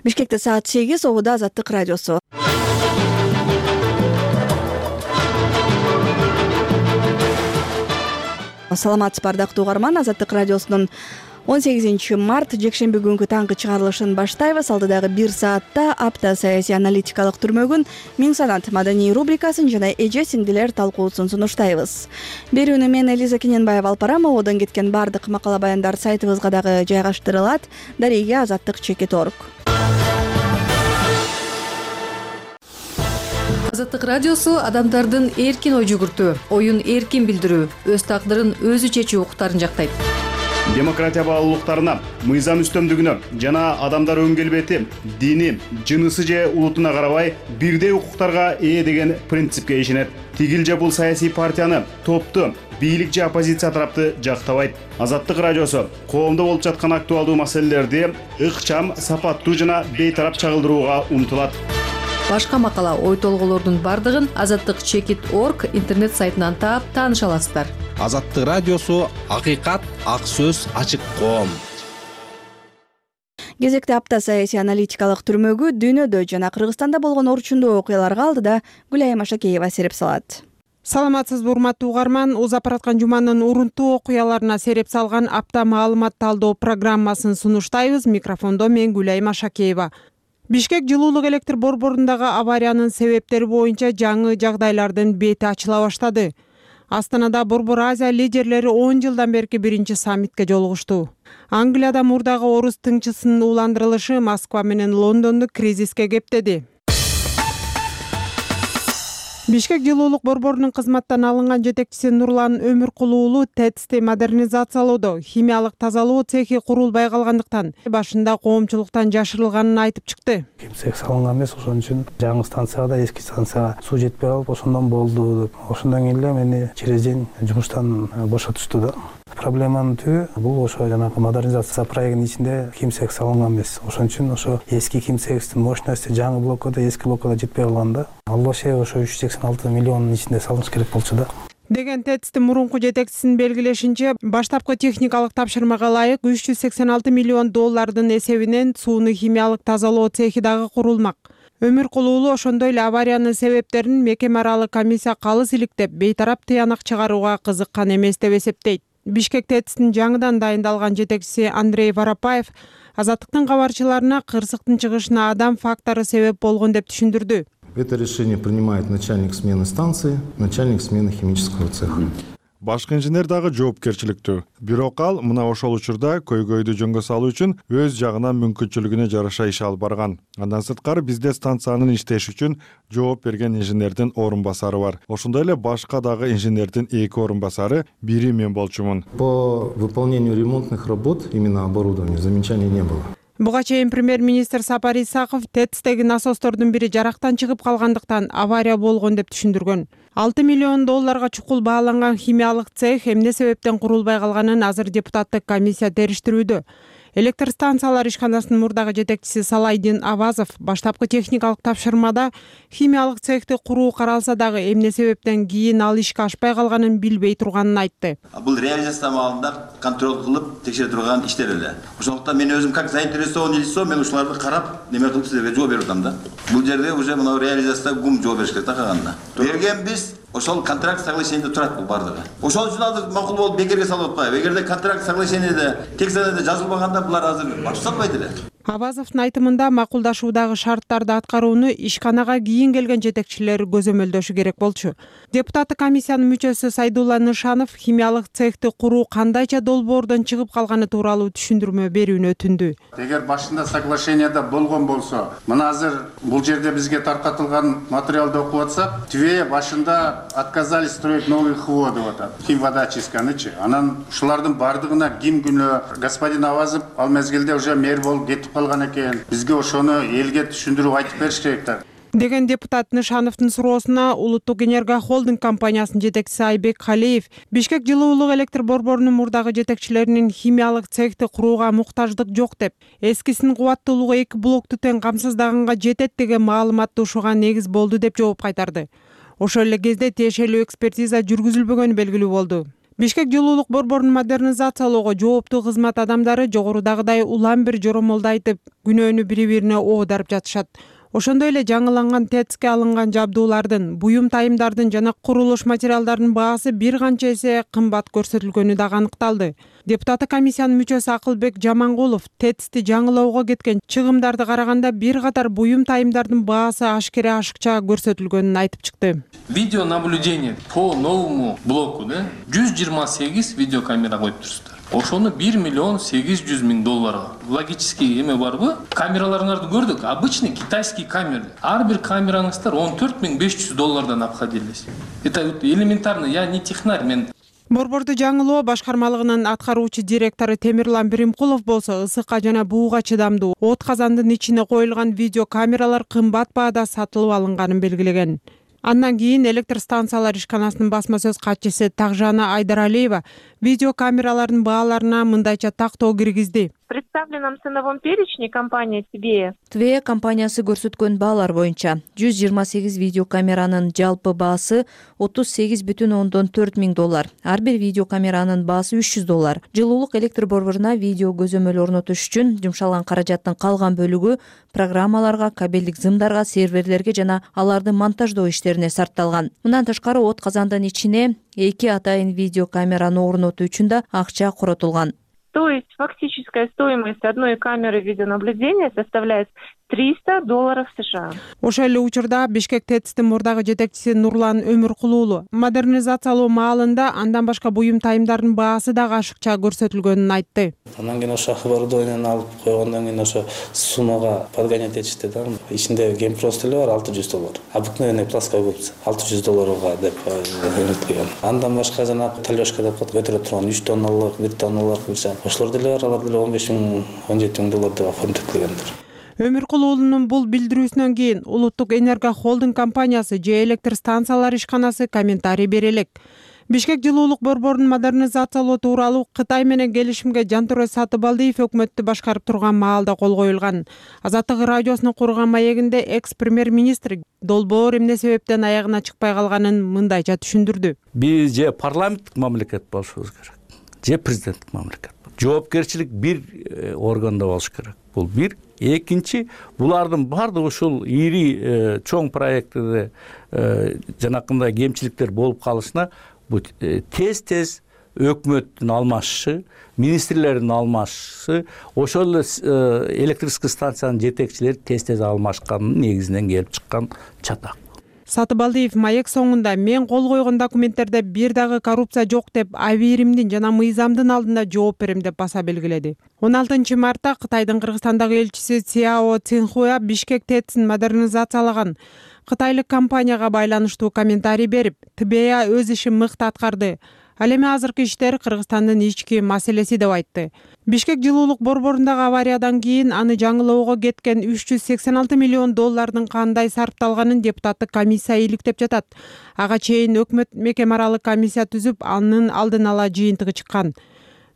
Бишкекте саат 8, Обуда Азаттык радиосу. Саламатсызбы ардактуу угарман, Азаттык радиосунун 18 март жекшемби күнгү таңкы чыгарылышын баштайбыз. Алдыдагы 1 саатта апта саясий аналитикалык түрмөгүн Миң санат маданий рубрикасын жана эже сиңдилер талкуусун сунуштайбыз. Берүүнү мен Элиза Кененбаева алып барам. Ободон кеткен бардык макала баяндар сайтыбызга дагы жайгаштырылат. Дареге Азаттык.org. Азаттык радиосу адамдардын эркин ой жүгүртүү, оюн эркин билдирүү, өз тагдырын өзү чечүү укуктарын жактайт. Демократия баалуулуктарына, мыйзам үстөмдүгүнө жана адамдар өн келбети, дини, жынысы же улутуна карабай бирдей укуктарга ээ деген принципке ишенет. Тигил же бул саясий партияны, топту, бийлик же оппозиция тарапты жактабайт. Азаттык радиосу коомдо болуп жаткан актуалдуу маселелерди ыкчам, сапаттуу жана бейтарап чагылдырууга умтулат. Башка макала, ой толголордун бардыгын Азаттык.org интернет сайтынан таап тааныша аласыздар. Азаттык радиосу акыйкат, ак сөз, ачык коом. Кезекте апта саясий аналитикалык түрмөгү дүйнөдө жана Кыргызстанда болгон орчундуу окуяларга алдыда Гүлайым Машакеева сереп салат. Саламатсызбы урматтуу угарман, узап бараткан жуманын урунтуу окуяларына сереп салган апта маалымат талдоо программасын сунуштайбыз. Микрофондо мен Гүлайым Машакеева. Бишкек жылуулук электр борборундагы авариянын себептери боюнча жаңы жагдайлардын бети ачыла баштады. Астанада Борбор Азия лидерлери 10 жылдан берки биринчи саммитке жолугушту. Англияда мурдагы орус тыңчысынын уландырылышы Москва менен Лондонду кризиске кептеди. Бишкек жылуулук борборунун кызматтан алынган жетекчиси Нурлан Өмүркулуу уулу ТЭЦти модернизациялоодо химиялык тазалоо цехи курулбай калгандыктан башында коомчулуктан жашырылганын айтып чыкты. Цех салынган эмес, ошон үчүн жаңы станцияда эски станцияга суу жетпей калып, ошондон болду деп. Ошондон кийин эле мени через день жумуштан бошотушту да. Проблеманын түбү бул ошо жанагы модернизация проектинин ичинде кимцех салынган эмес. Ошон үчүн ошо эски кимцехтин мощности жаңы блоккада, эски блоккада жетпей калган да. Ал ошо 386 миллиондун ичинде салыныш керек болчу да. Деген ТЭЦтин мурунку жетекчисинин белгилешинче, баштапкы техникалык тапшырмага ылайык 386 миллион доллардын эсебинен сууну химиялык тазалоо цехи дагы курулмак. Өмүркулуу уулу ошондой эле авариянын себептерин мекеме аралык комиссия калыс иликтеп, бейтарап тыянак чыгарууга кызыккан эмес деп эсептейт. Бишкек ТЭЦтин жаңыдан дайындалган жетекчиси Андрей Воропаев Азаттыктын кабарчыларына кырсыктын чыгышына адам фактору себеп болгон деп түшүндүрдү. Это решение принимает начальник смены станции, начальник смены химического цеха. Башкы инженер дагы жоопкерчиликтүү. Бирок ал мына ошол учурда көйгөйдү жөнгө салуу үчүн өз жагынан мүмкүнчүлүгүнө жараша иш алып барган. Андан сырткары бизде станциянын иштеши үчүн жооп берген инженердин орун басары бар. Ошондой эле башка дагы инженердин 2 орун басары, бири мен болчумун. По выполнению ремонтных работ именно оборудования замечаний не было. Буга чейин премьер-министр Сапар Исаков ТЭЦтеги насостордун бири жарактан чыгып калгандыктан авария болгон деп түшүндүргөн. 6 миллион долларга чукул бааланган химиялык цех эмне себептен курулбай калганын азыр депутаттык комиссия териштирүүдө. Электр станциялар ишканасынын мурдагы жетекчиси Салайдин Авазов баштапкы техникалык тапшырмада химиялык цехти куруу каралса дагы эмне себептен кийин ал ишке ашпай калганын билбей турганын айтты. Бул реализация маалында контроль кылып текшере турган иштер эле. Ошондуктан мен өзүм как заинтересованный лицо мен ушуларды карап неме кылып силерге жооп берип атам да. Бул жерде уже мына реализацияда гум жооп бериш керек да калганда. Бергенбиз ошол контракт соглашениеде турат бул бардыгы. Ошол үчүн азыр макул болуп бекерге салып атпайбы. Эгерде контракт соглашениеде текстте жазылбаганда булар азыр баш салбайт эле. Авазовдун айтымында макулдашуудагы шарттарды аткарууну ишканага кийин келген жетекчилер көзөмөлдөшү керек болчу. Депутаттык комиссиянын мүчөсү Сайдулла Нышанов химиялык цехти куруу кандайча долбоордон чыгып калганы тууралуу түшүндүрмө берүүнү өтүндү. Эгер башында соглашениеде болгон болсо, мына азыр бул жерде бизге таркатылган материалды окуп атсак, Тве башында отказались строить новый ХВО деп атат. Химводочистканычы. Анан ушулардын бардыгына ким күнөө господин Авазов ал мезгилде уже мэр болуп кетип калган экен. Бизге ошону элге түшүндүрүп айтып бериш керек да. Деген депутат Нышановдун суроосуна Улуттук энергохолдинг компаниясынын жетекчиси Айбек Халеев Бишкек жылуулук электр борборунун мурдагы жетекчилеринин химиялык цехти курууга муктаждык жок деп, эскисинин кубаттуулугу 2 блокту тең камсыздаганга жетет деген маалыматты ушуга негиз болду деп жооп кайтарды. Ошол эле кезде тиешелүү экспертиза жүргүзүлбөгөнү белгилүү болду. Бишкек жылуулук борборун модернизациялоого жооптуу кызмат адамдары жогорудагыдай улам бир жоромолду айтып, күнөөнү бири-бирине оодарып жатышат. Ошондой эле жаңыланган ТЭЦке алынган жабдуулардын, буюм тайымдардын жана курулуш материалдарынын баасы бир канча эсе кымбат көрсөтүлгөнү дагы аныкталды. Депутаттык комиссиянын мүчөсү Акылбек Жамангулов ТЭЦти жаңылоого кеткен чыгымдарды караганда бир катар буюм тайымдардын баасы ашкере ашыкча көрсөтүлгөнүн айтып чыкты. Видеонаблюдение по новому блоку 128 видеокамера коюп турсуздар. Ошону 1 миллион 800 миң долларга. Логический эме барбы? Камераларыңарды көрдүк. Обычный китайский камера. Ар бир камераңыздар 14 500 доллардан обходились. Это элементарно. Я не технарь, мен. Борборду жаңылоо башкармалыгынын аткаруучу директору Темирлан Биримкулов болсо ысыкка жана бууга чыдамдуу от казандын ичине коюлган видеокамералар кымбат баада сатылып алынганын белгилеген. Андан кийин электр станциялар ишканасынын басма сөз катчысы Тагжана Айдаралиева видеокамералардын бааларына мындайча тактоо киргизди. В представленном ценовом перечне компания ТВЕ компаниясы көрсөткөн баалар боюнча 128 видеокамеранын жалпы баасы 38,4 миң доллар. Ар бир видеокамеранын баасы 300 доллар. Жылуулук электр борборуна видео көзөмөл орнотуш үчүн жумшалган каражаттын калган бөлүгү программаларга, кабелдик зымдарга, серверлерге жана аларды монтаждоо иштерине сарпталган. Мындан тышкары от казандын ичине 2 атайын видеокамераны орнотуу үчүн да акча коротулган. То есть фактическая стоимость одной камеры видеонаблюдения составляет $300 США. Ошол эле учурда Бишкек ТЭЦтин мурдагы жетекчиси Нурлан Өмүркулуулу модернизациялоо маалында андан башка буюм тайымдардын баасы дагы ашыкча көрсөтүлгөнүн айтты. Андан кийин ошо оборудованияны алып койгондон кийин ошо суммага подгонять этишти да. Ичинде гемпрост эле бар $600. Обыкновенный плоская губка $600 деп өткөн. Андан башка жана талёшка деп көтөрө турган 3 тонналык, 1 тонналык болчу. Ошолор деле бар, алар деле 15 миң, 17 миң доллар деп оформдеттилгендир. Өмүркулуулунун бул билдирүүсүнөн кийин Улуттук энерго холдинг компаниясы же электр станциялар ишканасы комментарий бере элек. Бишкек жылуулук борборун модернизациялоо тууралуу Кытай менен келишимге Жантөрө Сатыбалдиев өкмөттү башкарып турган маалда кол коюлган. Азаттык радиосунун курган маегинде экс-премьер-министр долбоор эмне себептен аягына чыкпай калганын мындайча түшүндүрдү. Биз же парламенттик мамлекет болушубуз керек, же президенттик мамлекет. Жоопкерчилик бир органда болуш керек. Бул бир. Экинчи, булардын баардыгы ушул ири чоң проекттерде жанакындай кемчиликтер болуп калышына тез өкмөттүн алмашышы, министрлердин алмашышы, ошол эле электрический станциянын жетекчилери тез алмашканын негизинен келип чыккан чатак. Сатыбалдиев маек соңунда мен кол койгон документтерде бир дагы коррупция жок деп Абийримдин жана мыйзамдын алдында жооп берем деп баса белгиледи. 16 мартта Кытайдын Кыргызстандагы элчиси Цяо Цинхуа Бишкек ТЭЦин модернизациялаган кытайлык компанияга байланыштуу комментарий берип, ТБА өз ишин мыкты аткарды. Ал эми азыркы иштер Кыргызстандын ички маселеси деп айтты. Бишкек жылуулук борборундагы авариядан кийин аны жаңылоого кеткен 386 миллион доллардын кандай сарпталганын депутаттык комиссия иликтеп жатат. Ага чейин өкмөт мекеме аралык комиссия түзүп, анын алдын ала жыйынтыгы чыккан.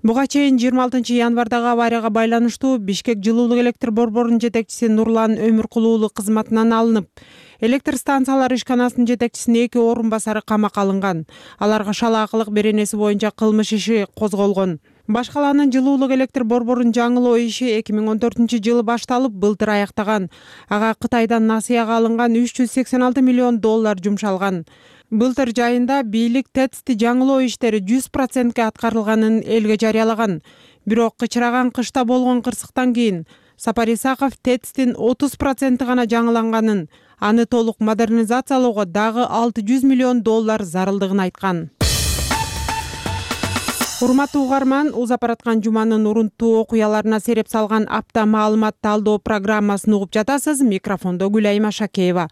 Буга чейин 26 январдагы аварияга байланыштуу Бишкек жылуулук электр борборунун жетекчиси Нурлан Өмүркулуулу кызматынан алынып, электр станциялар ишканасынын жетекчисинин 2 орун басары камакка алынган. Аларга шалаакылык беренеси боюнча кылмыш иши козголгон. Башкаланын жылуулук электр борборун жаңылоо иши 2014-жылы башталып, былтыр аяктаган. Ага Кытайдан насыяга алынган 386 миллион доллар жумшалган. Былтыр жайында бийлик ТЭЦти жаңылоо иштери 100%ке аткарылганын элге жарыялаган. Бирок кычыраган кышта болгон кырсыктан кийин Сапар Исаков ТЭЦтин 30% гана жаңыланганын, аны толук модернизациялоого дагы 600 миллион доллар зарылдыгын айткан. Урматтуу угарман, узап бараткан жуманын урунттуу окуяларына сереп салган апта маалымат талдоо программасын угуп жатасыз. Микрофондо Гүлайым Ашакеева.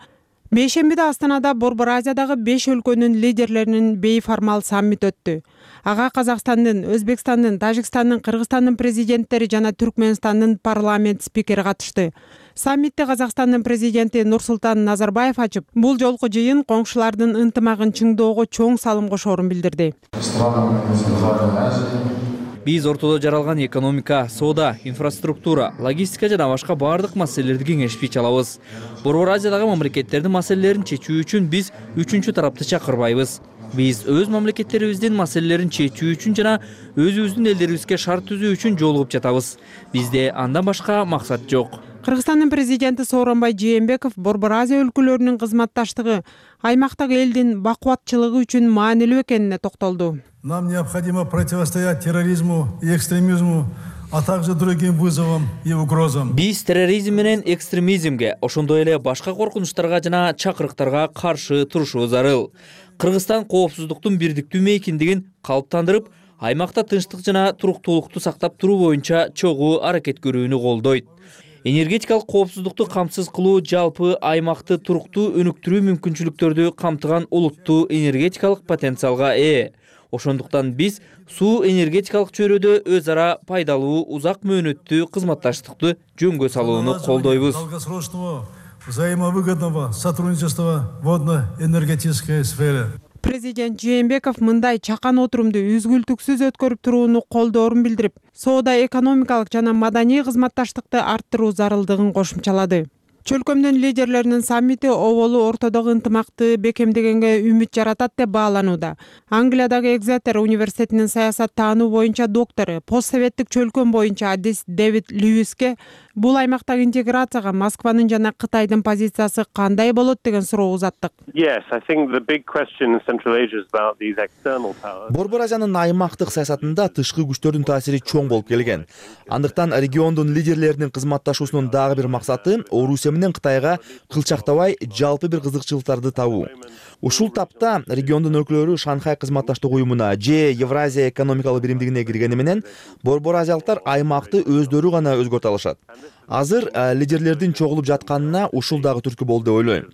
Бейшембиде Астанада Борбор Азиядагы 5 өлкөнүн лидерлеринин бейформал саммит өттү. Ага Казакстандын, Өзбекстандын, Тажикстандын, Кыргызстандын президенттери жана Түркмөнстандын парламент спикери катышты. Саммитти Казакстандын президенти Нурсултан Назарбаев ачып, бул жолку жыйын коңшулардын ынтымагын чыңдоого чоң салым кошоорун билдирди. Биз ортодо жаралган экономика, соода, инфраструктура, логистика жана башка баардык маселелерди кеңешип чалабыз. Борбор Азиядагы мамлекеттердин маселелерин чечүү үчүн биз үчүнчү тарапты чакырбайбыз. Биз өз мамлекеттерибиздин маселелерин чечүү үчүн жана өзүбүздүн элдерибизге шарт түзүү үчүн жолугуп жатабыз. Бизде андан башка максат жок. Кыргызстандын президенти Сооронбай Жээнбеков Борбор Азия өлкөлөрүнүн кызматташтыгы аймактагы элдин бакубатчылыгы үчүн маанилүү экенине токтолду. Нам необходимо противостоять терроризму и экстремизму, а также другим вызовам и угрозам. Биз терроризм менен экстремизмге, ошондой эле башка коркунучтарга жана чакырыктарга каршы турушубуз зарыл. Кыргызстан коопсуздуктун бирдиктүү мейкиндигин калыптандырып, аймакта тынчтык жана туруктуулукту сактап туруу боюнча чогуу аракет көрүүнү колдойт. Энергетикалык коопсуздукту камсыз кылуу жалпы аймакты туруктуу өнүктүрүү мүмкүнчүлүктөрдү камтыган улуттуу энергетикалык потенциалга ээ. Ошондуктан биз суу энергетикалык чөйрөдө өз ара пайдалуу узак мөөнөттүү кызматташтыкты жөнгө салууну колдойбуз. Долгосрочного взаимовыгодного сотрудничества в водно-энергетической сфере. Президент Жээнбеков мындай чакан отурумду үзгүлтүксүз өткөрүп турууну колдоорун билдирип, соода экономикалык жана маданий кызматташтыкты арттыруу зарылдыгын кошумчалады. Чөлкөмдүн лидерлеринин саммити оболу ортодогу ынтымакты бекемдегенге үмүт жаратат деп бааланууда. Англиядагы Экзетер университетинин саясат таануу боюнча доктору, постсоветтик чөлкөм боюнча адис Дэвид Льюиске бул аймактагы интеграцияга Москванын жана Кытайдын позициясы кандай болот деген суроо узаттык. Борбор Азиянын аймактык саясатында тышкы күчтөрдүн таасири чоң болуп келген. Андыктан региондун лидерлеринин кызматташуусунун дагы бир максаты Орусия менен Кытайга кылчактабай жалпы бир кызыкчылыктарды табуу. Ушул тапта региондун өлкөлөрү Шанхай кызматташтык уюмуна же Евразия экономикалык биримдигине киргени менен Борбор Азиялыктар аймакты өздөрү гана өзгөртө алышат. Азыр лидерлердин чогулуп жатканына ушул дагы түрткү болду деп ойлойм.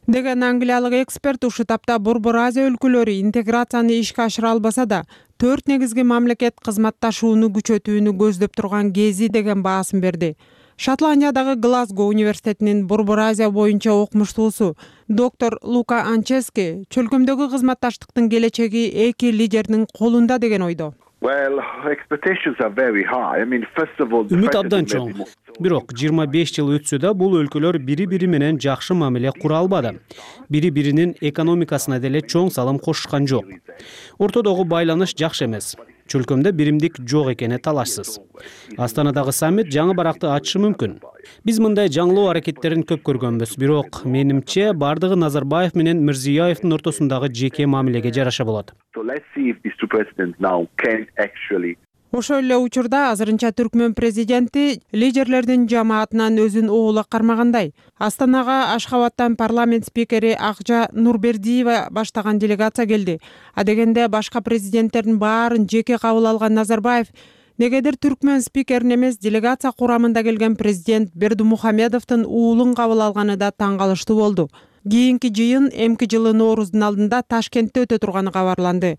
Деген англиялык эксперт ушул тапта Борбор Азия өлкөлөрү интеграцияны ишке ашыра албаса да, 4 негизги мамлекет кызматташууну күчөтүүнү көздөп турган кези деген баасын берди. Шотландиядагы Глазго университетинин Борбор Азия боюнча окумуштуусу доктор Лука Анчески чөлкөмдөгү кызматташтыктын келечеги эки лидердин колунда деген ойдо. Үмүт абдан чоң. Бирок 25 жыл өтсө да бул өлкөлөр бири-бири менен жакшы мамиле кура албады. Бири-биринин экономикасына деле чоң салым кошушкан жок. Ортодогу байланыш жакшы эмес. Чөлкөмдө биримдик жок экени талашсыз. Астанадагы саммит жаңы баракты ачышы мүмкүн. Биз мындай жаңылоо аракеттерин көп көргөнбүз, бирок менимче бардыгы Назарбаев менен Мирзиёевдин ортосундагы жеке мамилеге жараша болот. Ошол эле учурда азырынча Түркмөн президенти лидерлердин жамаатынан өзүн оола кармагандай. Астанага Ашхабадтан парламент спикери Акжа Нурбердиева баштаган делегация келди. А дегенде башка президенттердин баарын жеке кабыл алган Назарбаев негедир Түркмөн спикерин эмес, делегация курамында келген президент Бердымухамедовдун уулун кабыл алганы да таң калыштуу болду. Кийинки жыйын эмки жылы Норуздун алдында Ташкентте өтө турганы кабарланды.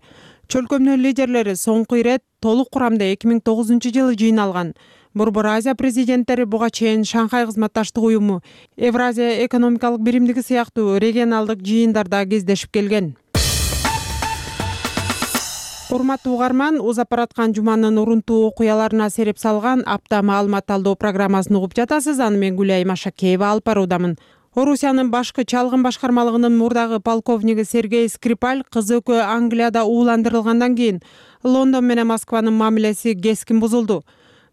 Чөлкөмдүн лидерлери соңку ирет толук курамда 2009-жылы жыйналган. Борбор Азия президенттери буга чейин Шанхай кызматташтык уюму, Евразия экономикалык биримдиги сыяктуу регионалдык жыйындарда кездешип келген. Урматтуу угарман, узап бараткан жуманын урунтуу окуяларына сереп салган апта маалымат талдоо программасын угуп жатасыз. Аны мен Гүлайым Ашакеева алып баруудамын. Орусиянын башкы чалгын башкармалыгынын мурдагы полковниги Сергей Скрипаль кызы экөө Англияда ууландырылгандан кийин Лондон менен Москванын мамилеси кескин бузулду.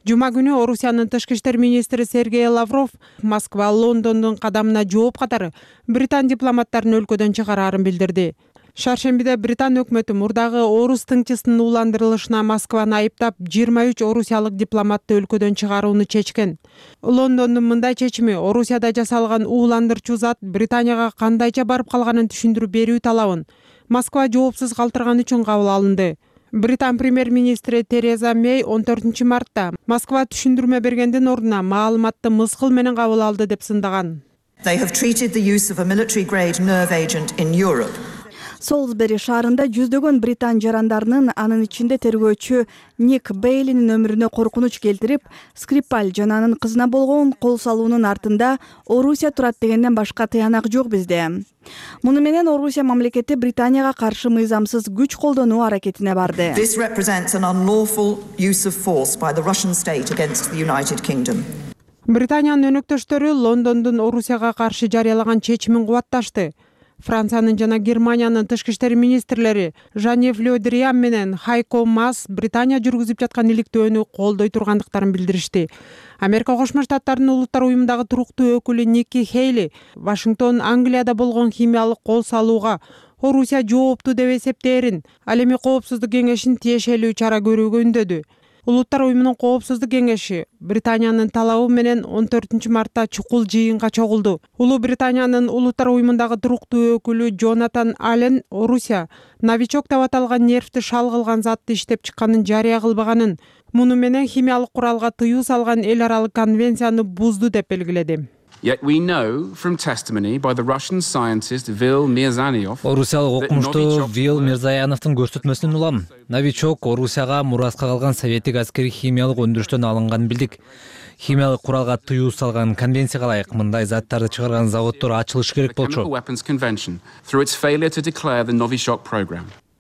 Жума күнү Орусиянын тышкы иштер министри Сергей Лавров Москва Лондондун кадамына жооп катары Британ дипломаттарын өлкөдөн чыгарарын билдирди. Шаршембиде Британ өкмөтү мурдагы орус тыңчысынын ууландырылышына Москваны айыптап 23 орусиялык дипломатты өлкөдөн чыгарууну чечкен. Лондондун мындай чечими Орусияда жасалган ууландырчу зат Британияга кандайча барып калганын түшүндүрүп берүү талабын Москва жоопсуз калтырган үчүн кабыл алынды. Британ премьер-министри Тереза Мэй 14 мартта Москва түшүндүрмө бергендин ордуна маалыматты мыскыл менен кабыл алды деп сындаган. Солсбери шаарында жүздөгөн британ жарандарынын, анын ичинде тергөөчү Ник Бейлинин өмүрүнө коркунуч келтирип, Скрипаль жана анын кызына болгон кол салуунун артында Орусия турат дегенден башка тыянак жок бизде. Муну менен Орусия мамлекети Британияга каршы мыйзамсыз күч колдонуу аракетине барды. Британиянын өнөктөштөрү Лондондун Орусияга каршы жарыялаган чечимин кубатташты. Франциянын жана Германиянын тышкы иштер министрлери Жан-Йев Ле Дриан менен Хайко Мас Британия жүргүзүп жаткан иликтөөнү колдой тургандыктарын билдиришти. Америка Кошмо Штаттарынын Улуттар уюмундагы туруктуу өкүлү Ники Хейли Вашингтон Англияда болгон химиялык кол салууга Орусия жоопту деп эсептээрин, ал эми Коопсуздук кеңешин тиешелүү чара көрүүгө үндөдү. Улуттар уюмунун Коопсуздук кеңеши Британиянын талабы менен 14-мартта чукул жыйынга чогулду. Улуу Британиянын Улуттар уюмундагы туруктуу өкүлү Джонатан Аллен Орусия новичок деп аталган нервти шал кылган затты иштеп чыкканын жарыя кылбаганын, муну менен химиялык куралга тыюу салган эл аралык конвенцияны бузду деп белгиледи. Yet we know from testimony by the Russian scientist Vil Mirzanov. Орусиялык окумуштуу Вил Мирзаяновдун көрсөтмөсүнөн улам новичок Орусияга мураска калган советтик аскери химиялык өндүрүштөн алынганын билдик. Химиялык куралга тыюу салган конвенцияга ылайык мындай заттарды чыгарган заводдор ачылышы керек болчу.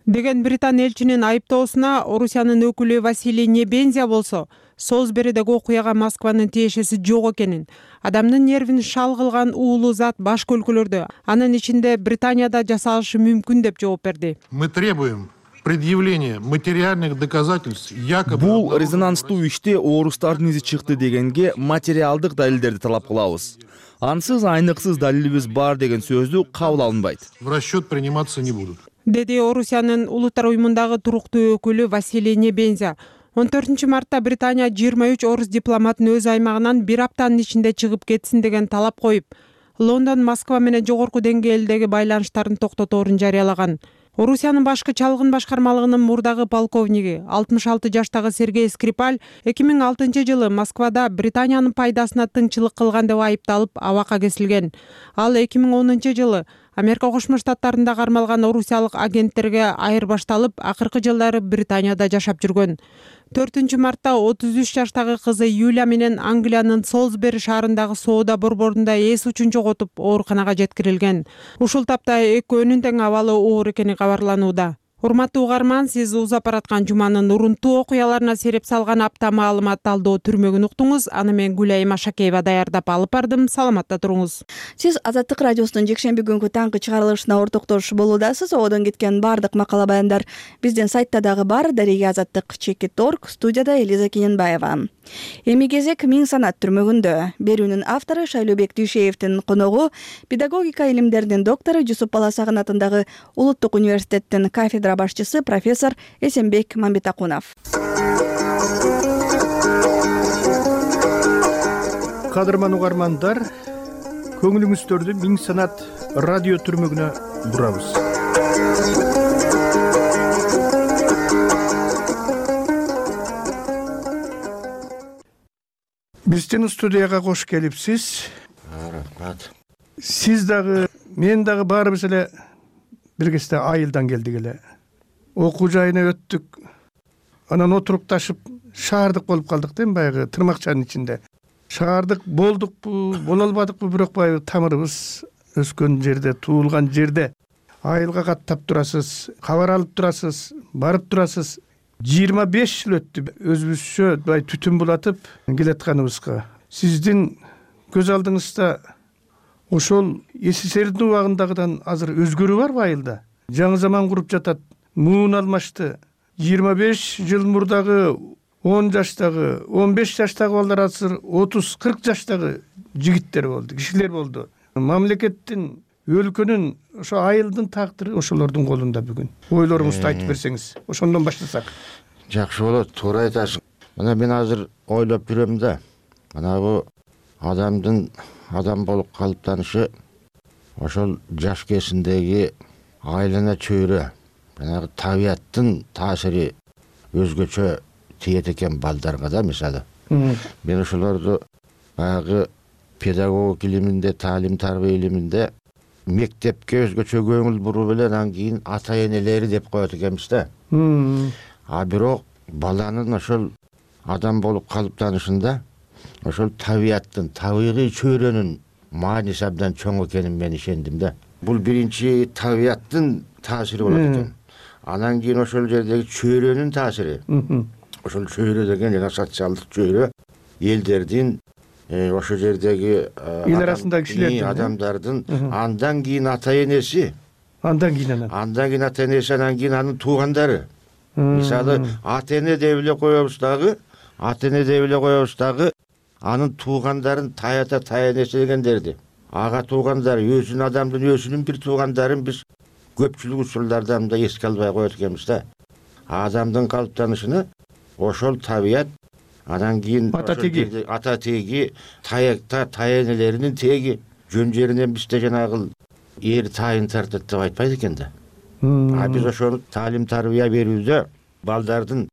Деген Британ элчинин айыптоосуна Орусиянын өкүлү Василий Небензия болсо, Солсберидеги окуяга Москванын тиешеси жок экенин, адамдын нервин шал кылган уулуу зат башка өлкөлөрдө, анын ичинде Британияда жасалышы мүмкүн деп жооп берди. Мы требуем предъявления материальных доказательств якобы. Бул резонанстуу иште орустардын изи чыкты дегенге материалдык далилдерди талап кылабыз. Ансыз айныксыз далилибиз бар деген сөздү кабыл алынбайт. В расчет приниматься не будут. Деди Орусиянын Улуттар уюмундагы туруктуу өкүлү Василий Небензия. 14-мартта Британия 23 орус дипломатын өз аймагынан бир аптанын ичинде чыгып кетсин деген талап коюп, Лондон Москва менен жогорку деңгээлдеги байланыштарын токтоторун жарыялаган. Орусиянын башкы чалгын башкармалыгынын мурдагы полковниги 66 жаштагы Сергей Скрипаль 2006-жылы Москвада Британиянын пайдасына тыңчылык кылган деп айыпталып абакка кесилген. Ал 2010-жылы Америка Кошмо Штаттарында кармалган орусиялык агенттерге айырбашталып, акыркы жылдары Британияда жашап жүргөн. 4-мартта 33 жаштагы кызы Юлия менен Англиянын Солсбери шаарындагы соода борборунда эс учун жоготуп, ооруканага жеткирилген. Ушул тапта экөөнүн тең абалы оор экени кабарланууда. Урматтуу угарман, сиз узап бараткан жуманын урунттуу окуяларына сереп салган апта маалымат талдоо түрмөгүн уктуңуз. Аны мен Гүлайым Ашакеева даярдап алып бардым. Саламатта туруңуз. Сиз Азаттык радиосунун жекшемби күнгү таңкы чыгарылышына ортоктош болуудасыз. Одон кеткен бардык макала баяндар биздин сайтта дагы бар. Дареге Азаттык.org. Студияда Элиза Кененбаева. Эми кезек Миң санат түрмөгүндө. Берүүнүн автору Шайлообек Дүйшеевдин коногу педагогика илимдеринин доктору Жусуп Баласагын атындагы Улуттук университеттин кафедра башчысы профессор Эсенбек Мамбетакунов. Кадырман угармандар, көңүлүңүздөрдү Миң санат радио түрмөгүнө бурабыз. Биздин студияга кош келипсиз. Рахмат. Сиз дагы, мен дагы баарыбыз эле бир кезде айылдан келдик эле. Окуу жайына өттүк. Анан отурукташып шаардык болуп калдык да, баягы тырмакчанын ичинде. Шаардык болдукпу, боло албадыкпы, бирок баягы тамырыбыз өскөн жерде, туулган жерде. Айылга каттап турасыз, кабар алып турасыз, барып турасыз. 25 жыл өттү өзүбүзчө бай түтүн булатып келатканыбызга. Сиздин көз алдыңызда ошол СССРдин убагындагыдан азыр өзгөрүү барбы айылда? Жаңы заман куруп жатат, муун алмашты. 25 жыл мурдагы 10 жаштагы, 15 жаштагы балдар азыр 30-40 жаштагы жигиттер болду, кишилер болду. Мамлекеттин, өлкөнүн, ошо айылдын тагдыры ошолордун колунда бүгүн. Ойлоруңузду айтып берсеңиз, ошондон баштасак. Жакшы болот, туура айтасың. Мына мен азыр ойлоп жүрөм да. Мына бу адамдын адам болуп калыптанышы ошол жаш кезиндеги айлана чөйрө, жанагы табияттын таасири өзгөчө тиет экен балдарга да, мисалы. Мен ошолорду баягы педагогика илиминде, таалим тарбия илиминде мектепке өзгөчө көңүл буруп эле анан кийин ата энелери деп коет экенбиз да. А бирок баланын ошол адам болуп калыптанышында ошол табияттын, табигый чөйрөнүн мааниси абдан чоң экенин мен ишендим да. Бул биринчи табияттын таасири болот экен. Анан кийин ошол жердеги чөйрөнүн таасири. Ошол чөйрө деген жана социалдык чөйрө элдердин ошол жердеги эл арасындагы кишилердин адамдардын андан кийин ата энеси, андан кийин ата энеси, анан кийин анын туугандары. Мисалы ата эне деп эле коебуз дагы, анын туугандарын таята энеси дегендерди. Ага туугандары, өзүнүн адамдын өзүнүн бир туугандарын биз көпчүлүк учурларда мындай эске албай коет экенбиз да. Адамдын калыптанышына ошол табият, анан кийин ата теги, таянелеринин теги жөн жеринен бизде жанагы эр тайын тартат деп айтпайт экен да. Биз ошону таалим тарбия берүүдө балдардын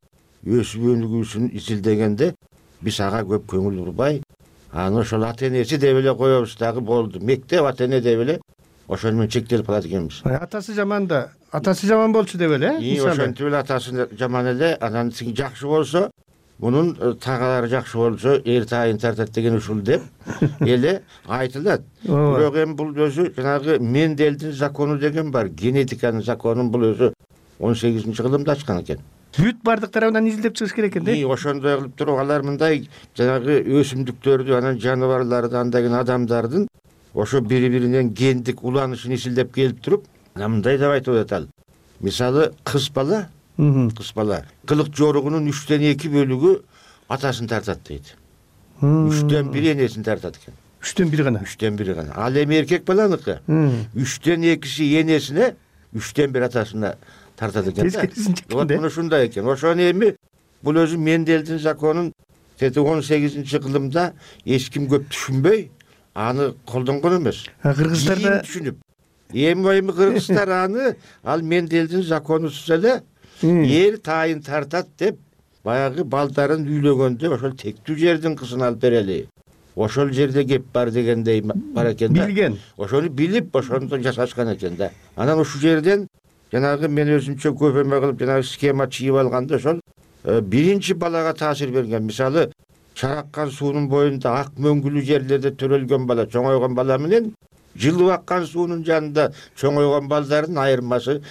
өсүп өнүгүүсүн изилдегенде биз ага көп көңүл бурбай, аны ошол ата энеси деп эле коебуз дагы болду. Мектеп ата эне деп эле ошону менен чектелип калат экенбиз. Атасы жаман болчу деп эле. Ошентип эле атасы жаман эле, анан жакшы болсо, мунун тагалары жакшы болсо, эр тайын тартат деген ушул деп эле айтылат. Бирок эми бул өзү жанагы Менделдин закону деген бар, генетиканын законун бул өзү 18-кылымда ачкан экен. Бүт бардык тарабынан изилдеп чыгыш керек экен да. Ошондой кылып туруп алар мындай жанагы өсүмдүктөрдү, анан жаныбарларды, андагы адамдардын ошо бири-биринен гендик уланышын изилдеп келип туруп, мындай деп айтып атат. Мисалы кыз бала кылык жоругунун 3/2 бөлүгү атасын тартат дейт. 3/1 энесин тартат экен. 3/1 гана. Ал эми эркек баланыкы 3/2 энесине, 3/1 атасына тартат экен да. Вот мына ушундай экен. Ошону эми бул өзү Менделдин законун 18-кылымда эч ким көп түшүнбөй аны колдонгон эмес. Кыргыздарда түшүнүп. Эми кыргыздар аны ал Менделдин законусуз эле эр тайын тартат деп баягы балдарын үйлөгөндө ошол тектүү жердин кызын алып берели. Ошол жерде кеп бар дегендей бар экен да. Билген. Ошону билип, ошондо жасашкан экен да. Анан ушул жерден жанагы мен өзүмчө көп эме кылып жанагы схема чыйып алганда ошол биринчи балага таасир берген. Мисалы чараккан суунун боюнда ак мөңгүлүү жерлерде төрөлгөн бала, чоңойгон бала менен жылып аккан суунун жанында чоңойгон балдардын айырмасы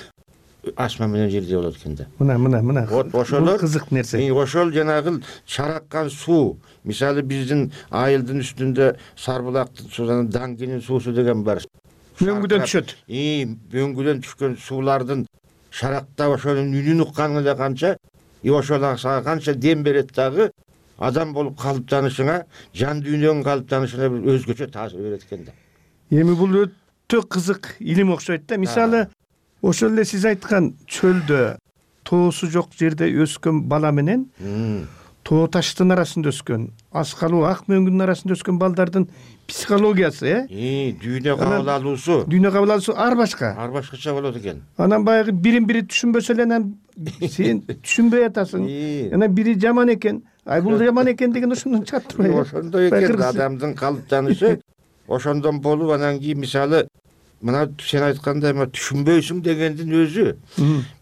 асма менен жерде болот экен да. Мына. Ошолор кызык нерсе. Ошол жанагы чараккан суу, мисалы биздин айылдын үстүндө Сарбулактын суунун Даңгинин суусу деген бар. Мөңгүдөн түшөт. Мөңгүдөн түшкөн суулардын шарактап ошонун үнүн укканы эле канча, ошол сага канча дем берет дагы адам болуп калыптанышыңа, жан дүйнөңүн калыптанышына бир өзгөчө таасир берет экен да. Эми бул өтө кызык илим окшойт да. Мисалы ошол эле сиз айткан чөлдө тоосу жок жерде өскөн бала менен тоо таштын арасында өскөн, аскалуу ак мөңгүнүн арасында өскөн балдардын психологиясы, дүйнө кабыл алуусу ар башкача болот экен. Анан баягы бири түшүнбөсө эле анан сен түшүнбөй атасың. Анан бири жаман экен, бул жаман экен деген ошондон чыгат турбайбы? Ошондой экен адамдын калыптанышы. Ошондон болуп анан кийин мисалы мына сен айткандай түшүнбөйсүң дегендин өзү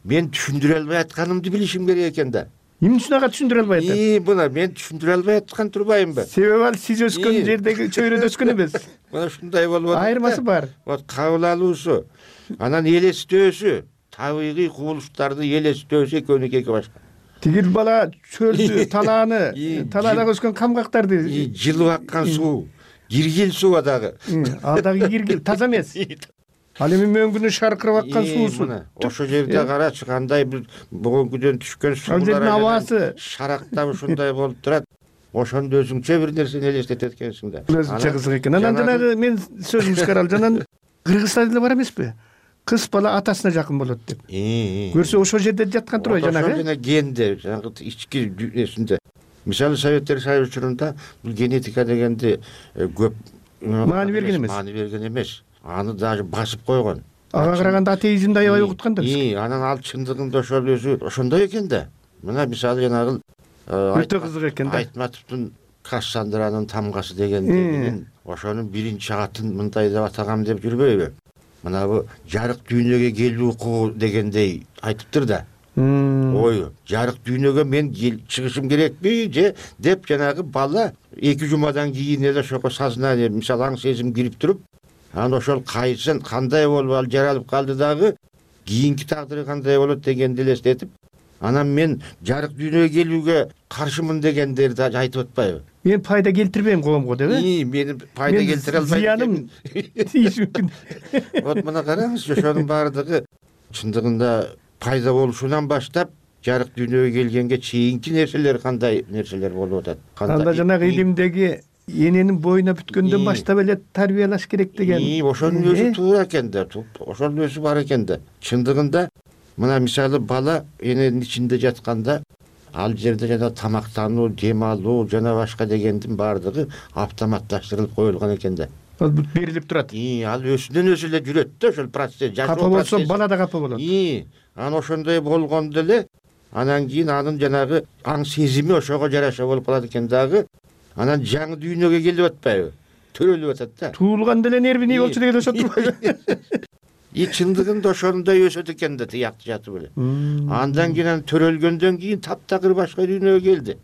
мен түшүндүрө албай атканымды билишим керек экен да. Эмне үчүн ага түшүндүрө албай атат? Мына мен түшүндүрө албай аткан турбаймынбы? Себеби ал сиз өскөн жердеги чөйрөдө өскөн эмес. Мына ушундай болуп атат. Айырмасы бар. Вот кабыл алуусу, анан элестөөсү, табигый кубулуштарды элестөөсү экөөнүкү эки башка. Тигил бала чөлдү, талаада өскөн камгактарды, жылып аккан суу, киргил суу дагы. Ал дагы киргил, таза эмес. Ал эми мөңгүнү шаркырап аккан суусу. Ошол жерде карачы кандай бир бөгөнгүдөн түшкөн суулар абасы шарактап ушундай болуп турат. Ошондо өзүңчө бир нерсени элестетет экенсиң да. Өзүнчө кызык экен. Анан жанагы мен сөзүмдү каралды. Анан Кыргызстанда деле бар эмеспи? Кыз бала атасына жакын болот деп. Көрсө ошол жерде жаткан турбайбы жанагы? Ошол генде, жанагы ички дүйнөсүндө. Мисалы Советтер Союзу учурунда бул генетика дегенди көп маани берген эмес. Аны даже басып койгон. Ага караганда атеизмди аябай угуткан да. Анан ал чындыгында ошол өзү ошондой экен да. Мына мисалы жанагы өтө кызык экен да. Айтматовдун Кассандранын тамгасы дегендигинин ошонун биринчи атын мындай деп атагам деп жүрбөйбү? Мына бу жарык дүйнөгө келүү укугу дегендей айтыптыр да. Ою, жарык дүйнөгө мен чыгышым керекпи же деп жанагы бала 2 жумадан кийин эле ошого сознание, мисалы аң сезим кирип туруп, анан ошол кайсын кандай болуп ал жаралып калды дагы, кийинки тагдыры кандай болот дегенди элестетип, анан мен жарык дүйнөгө келүүгө каршымын дегендерди айтып атпайбы? Мен пайда келтирбейм коомго деп Мен пайда келтире албайм. Зыяным тийиш мүмкүн. Вот мына караңыз, ошонун баардыгы чындыгында пайда болушунан баштап жарык дүйнөгө келгенге чейинки нерселер кандай нерселер болуп атат. Анда жанагы илимдеги эненин боюна бүткөндөн баштап эле тарбиялаш керек деген. Ошонун өзү туура экен да, ошонун өзү бар экен да. Чындыгында мына мисалы бала эненин ичинде жатканда ал жерде жана тамактануу, дем алуу жана башка дегендин баардыгы автоматташтырылып коюлган экен да. Ал берилип турат. Ал өзүнөн өзү эле жүрөт да, ошол процесс. Капа болсо бала да капа болот. Анан ошондой болгондо эле анан кийин анын жанагы аң сезими ошого жараша болуп калат экен дагы. Анан жаңы дүйнөгө келип атпайбы? Төрөлүп атат да. Туулганда эле нервини болчу деген өсөт турбайбы? Чындыгында ошондой өсөт экен да, тиякты жатып эле. Андан кийин төрөлгөндөн кийин таптакыр башка дүйнөгө келди.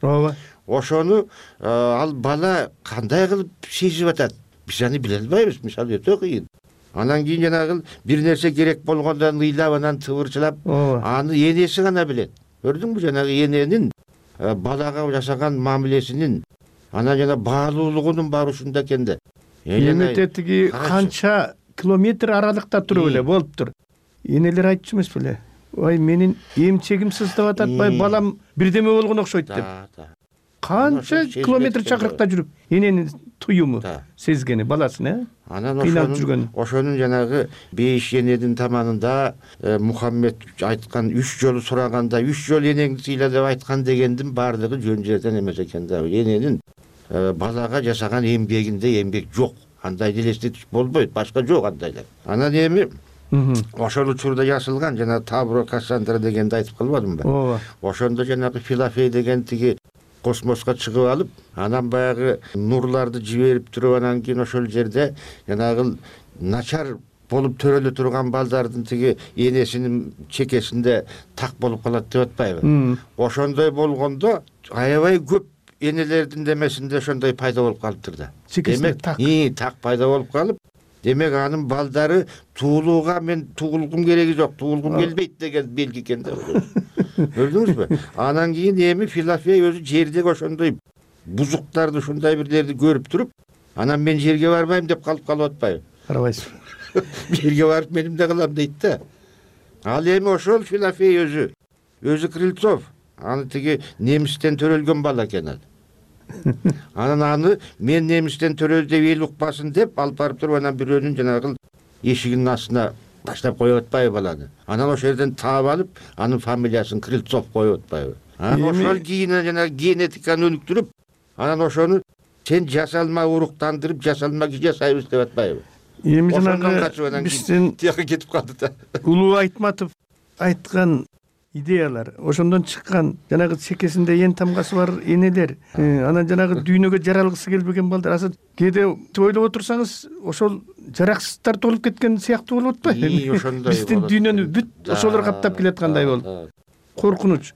Ооба. Ошону ал бала кандай кылып сезип атат? Биз аны биле албайбыз, мисалы өтө кыйын. Анан кийин жанагы бир нерсе керек болгондо ыйлап анан тыбырчылап, аны энеси гана билет. Көрдүңбү жанагы эненин балага жасаган мамилесинин, анан жана баалуулугунун баары ушунда экен да. Эметте тиги канча километр аралыкта туруп эле болуптур. Энелер айтчу эмес беле? Ой, менин эмчегим сыздап атат, балам бирдеме болгон окшойт деп. Канча километр чакырыкта жүрүп, эненин туюму сезгени баласын, Анан ошонун жанагы 5 эненин таманында Мухаммед айткан 3 жолу сураганда 3 жолу энеңди сыйла деп айткан дегендин баардыгы жөн жерден эмес экен да. Эненин балага жасаган эмгегинде эмгек жок. Андай элестетиш болбойт, башка жок андайлар. Анан эми ошол учурда жазылган жана Табро Кассандра дегенди айтып калбадымбы? Ооба. Ошондо жанагы Филофей деген тиги космоско чыгып алып, анан баягы нурларды жиберип туруп, анан кийин ошол жерде жанагы начар болуп төрөлө турган балдардын тиги энесинин чекесинде так болуп калат деп атпайбы? Ошондой болгондо аябай көп энелердин демесинде ошондой пайда болуп калыптыр да. Демек так пайда болуп калып, демек анын балдары туулууга мен туулгум кереги жок, туулгум келбейт деген белги экен да. Көрдүңүзбү? Анан кийин эми Филофей өзү жердеги ошондой бузуктарды, ушундай бирлерди көрүп туруп, анан мен жерге барбайм деп калып атпайбы? Барбайсыз. Жерге барып меним да кылам дейт да. Ал эми ошол Филофей өзү Крыльцов, аны тиги немистен төрөлгөн бала экен ал. Анан аны мен немистен төрөлдү деп эл укпасын деп алып барып туруп, анан бирөөнүн жанагы эшигинин астына таштап коюп атпайбы баланы. Анан ошол жерден таап алып, анын фамилиясын Крыльцов коюп атпайбы? Анан ошол кийин жана генетиканы өнүктүрүп, анан ошону сен жасалма уруктандырып, жасалма жасайбыз деп атпайбы? Эми жанагы биздин тияка кетип калды да. Улуу Айтматов айткан идеялар, ошондон чыккан жанагы чекесинде эн тамгасы бар энелер, анан жанагы дүйнөгө жаралгысы келбеген балдар, азыр кээде ойлоп отурсаңыз, ошол жараксыздар толуп кеткен сыяктуу болуп атпайбы? Ошондой. Биздин дүйнөнү бүт ошолор каптап келаткандай болуп. Коркунуч.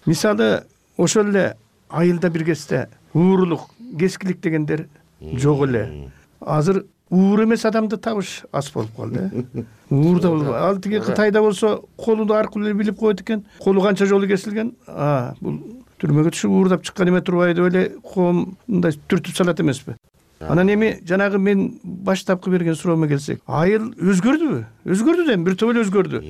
Мисалы, ошол эле айылда бир кезде уурулук, кескилик дегендер жок эле. Азыр уур эмес адамды табыш аз болуп калды. Уурда болуп, ал тиги Кытайда болсо колу аркылуу эле билип коет экен. Колу канча жолу кесилген, бул түрмөгө түшүп уурдап чыккан эме турбайбы деп эле коом мындай түртүп салат эмеспи? Анан эми жанагы мен баштапкы берген суроомо келсек, айыл өзгөрдүбү? Өзгөрдү да, бир топ эле өзгөрдү.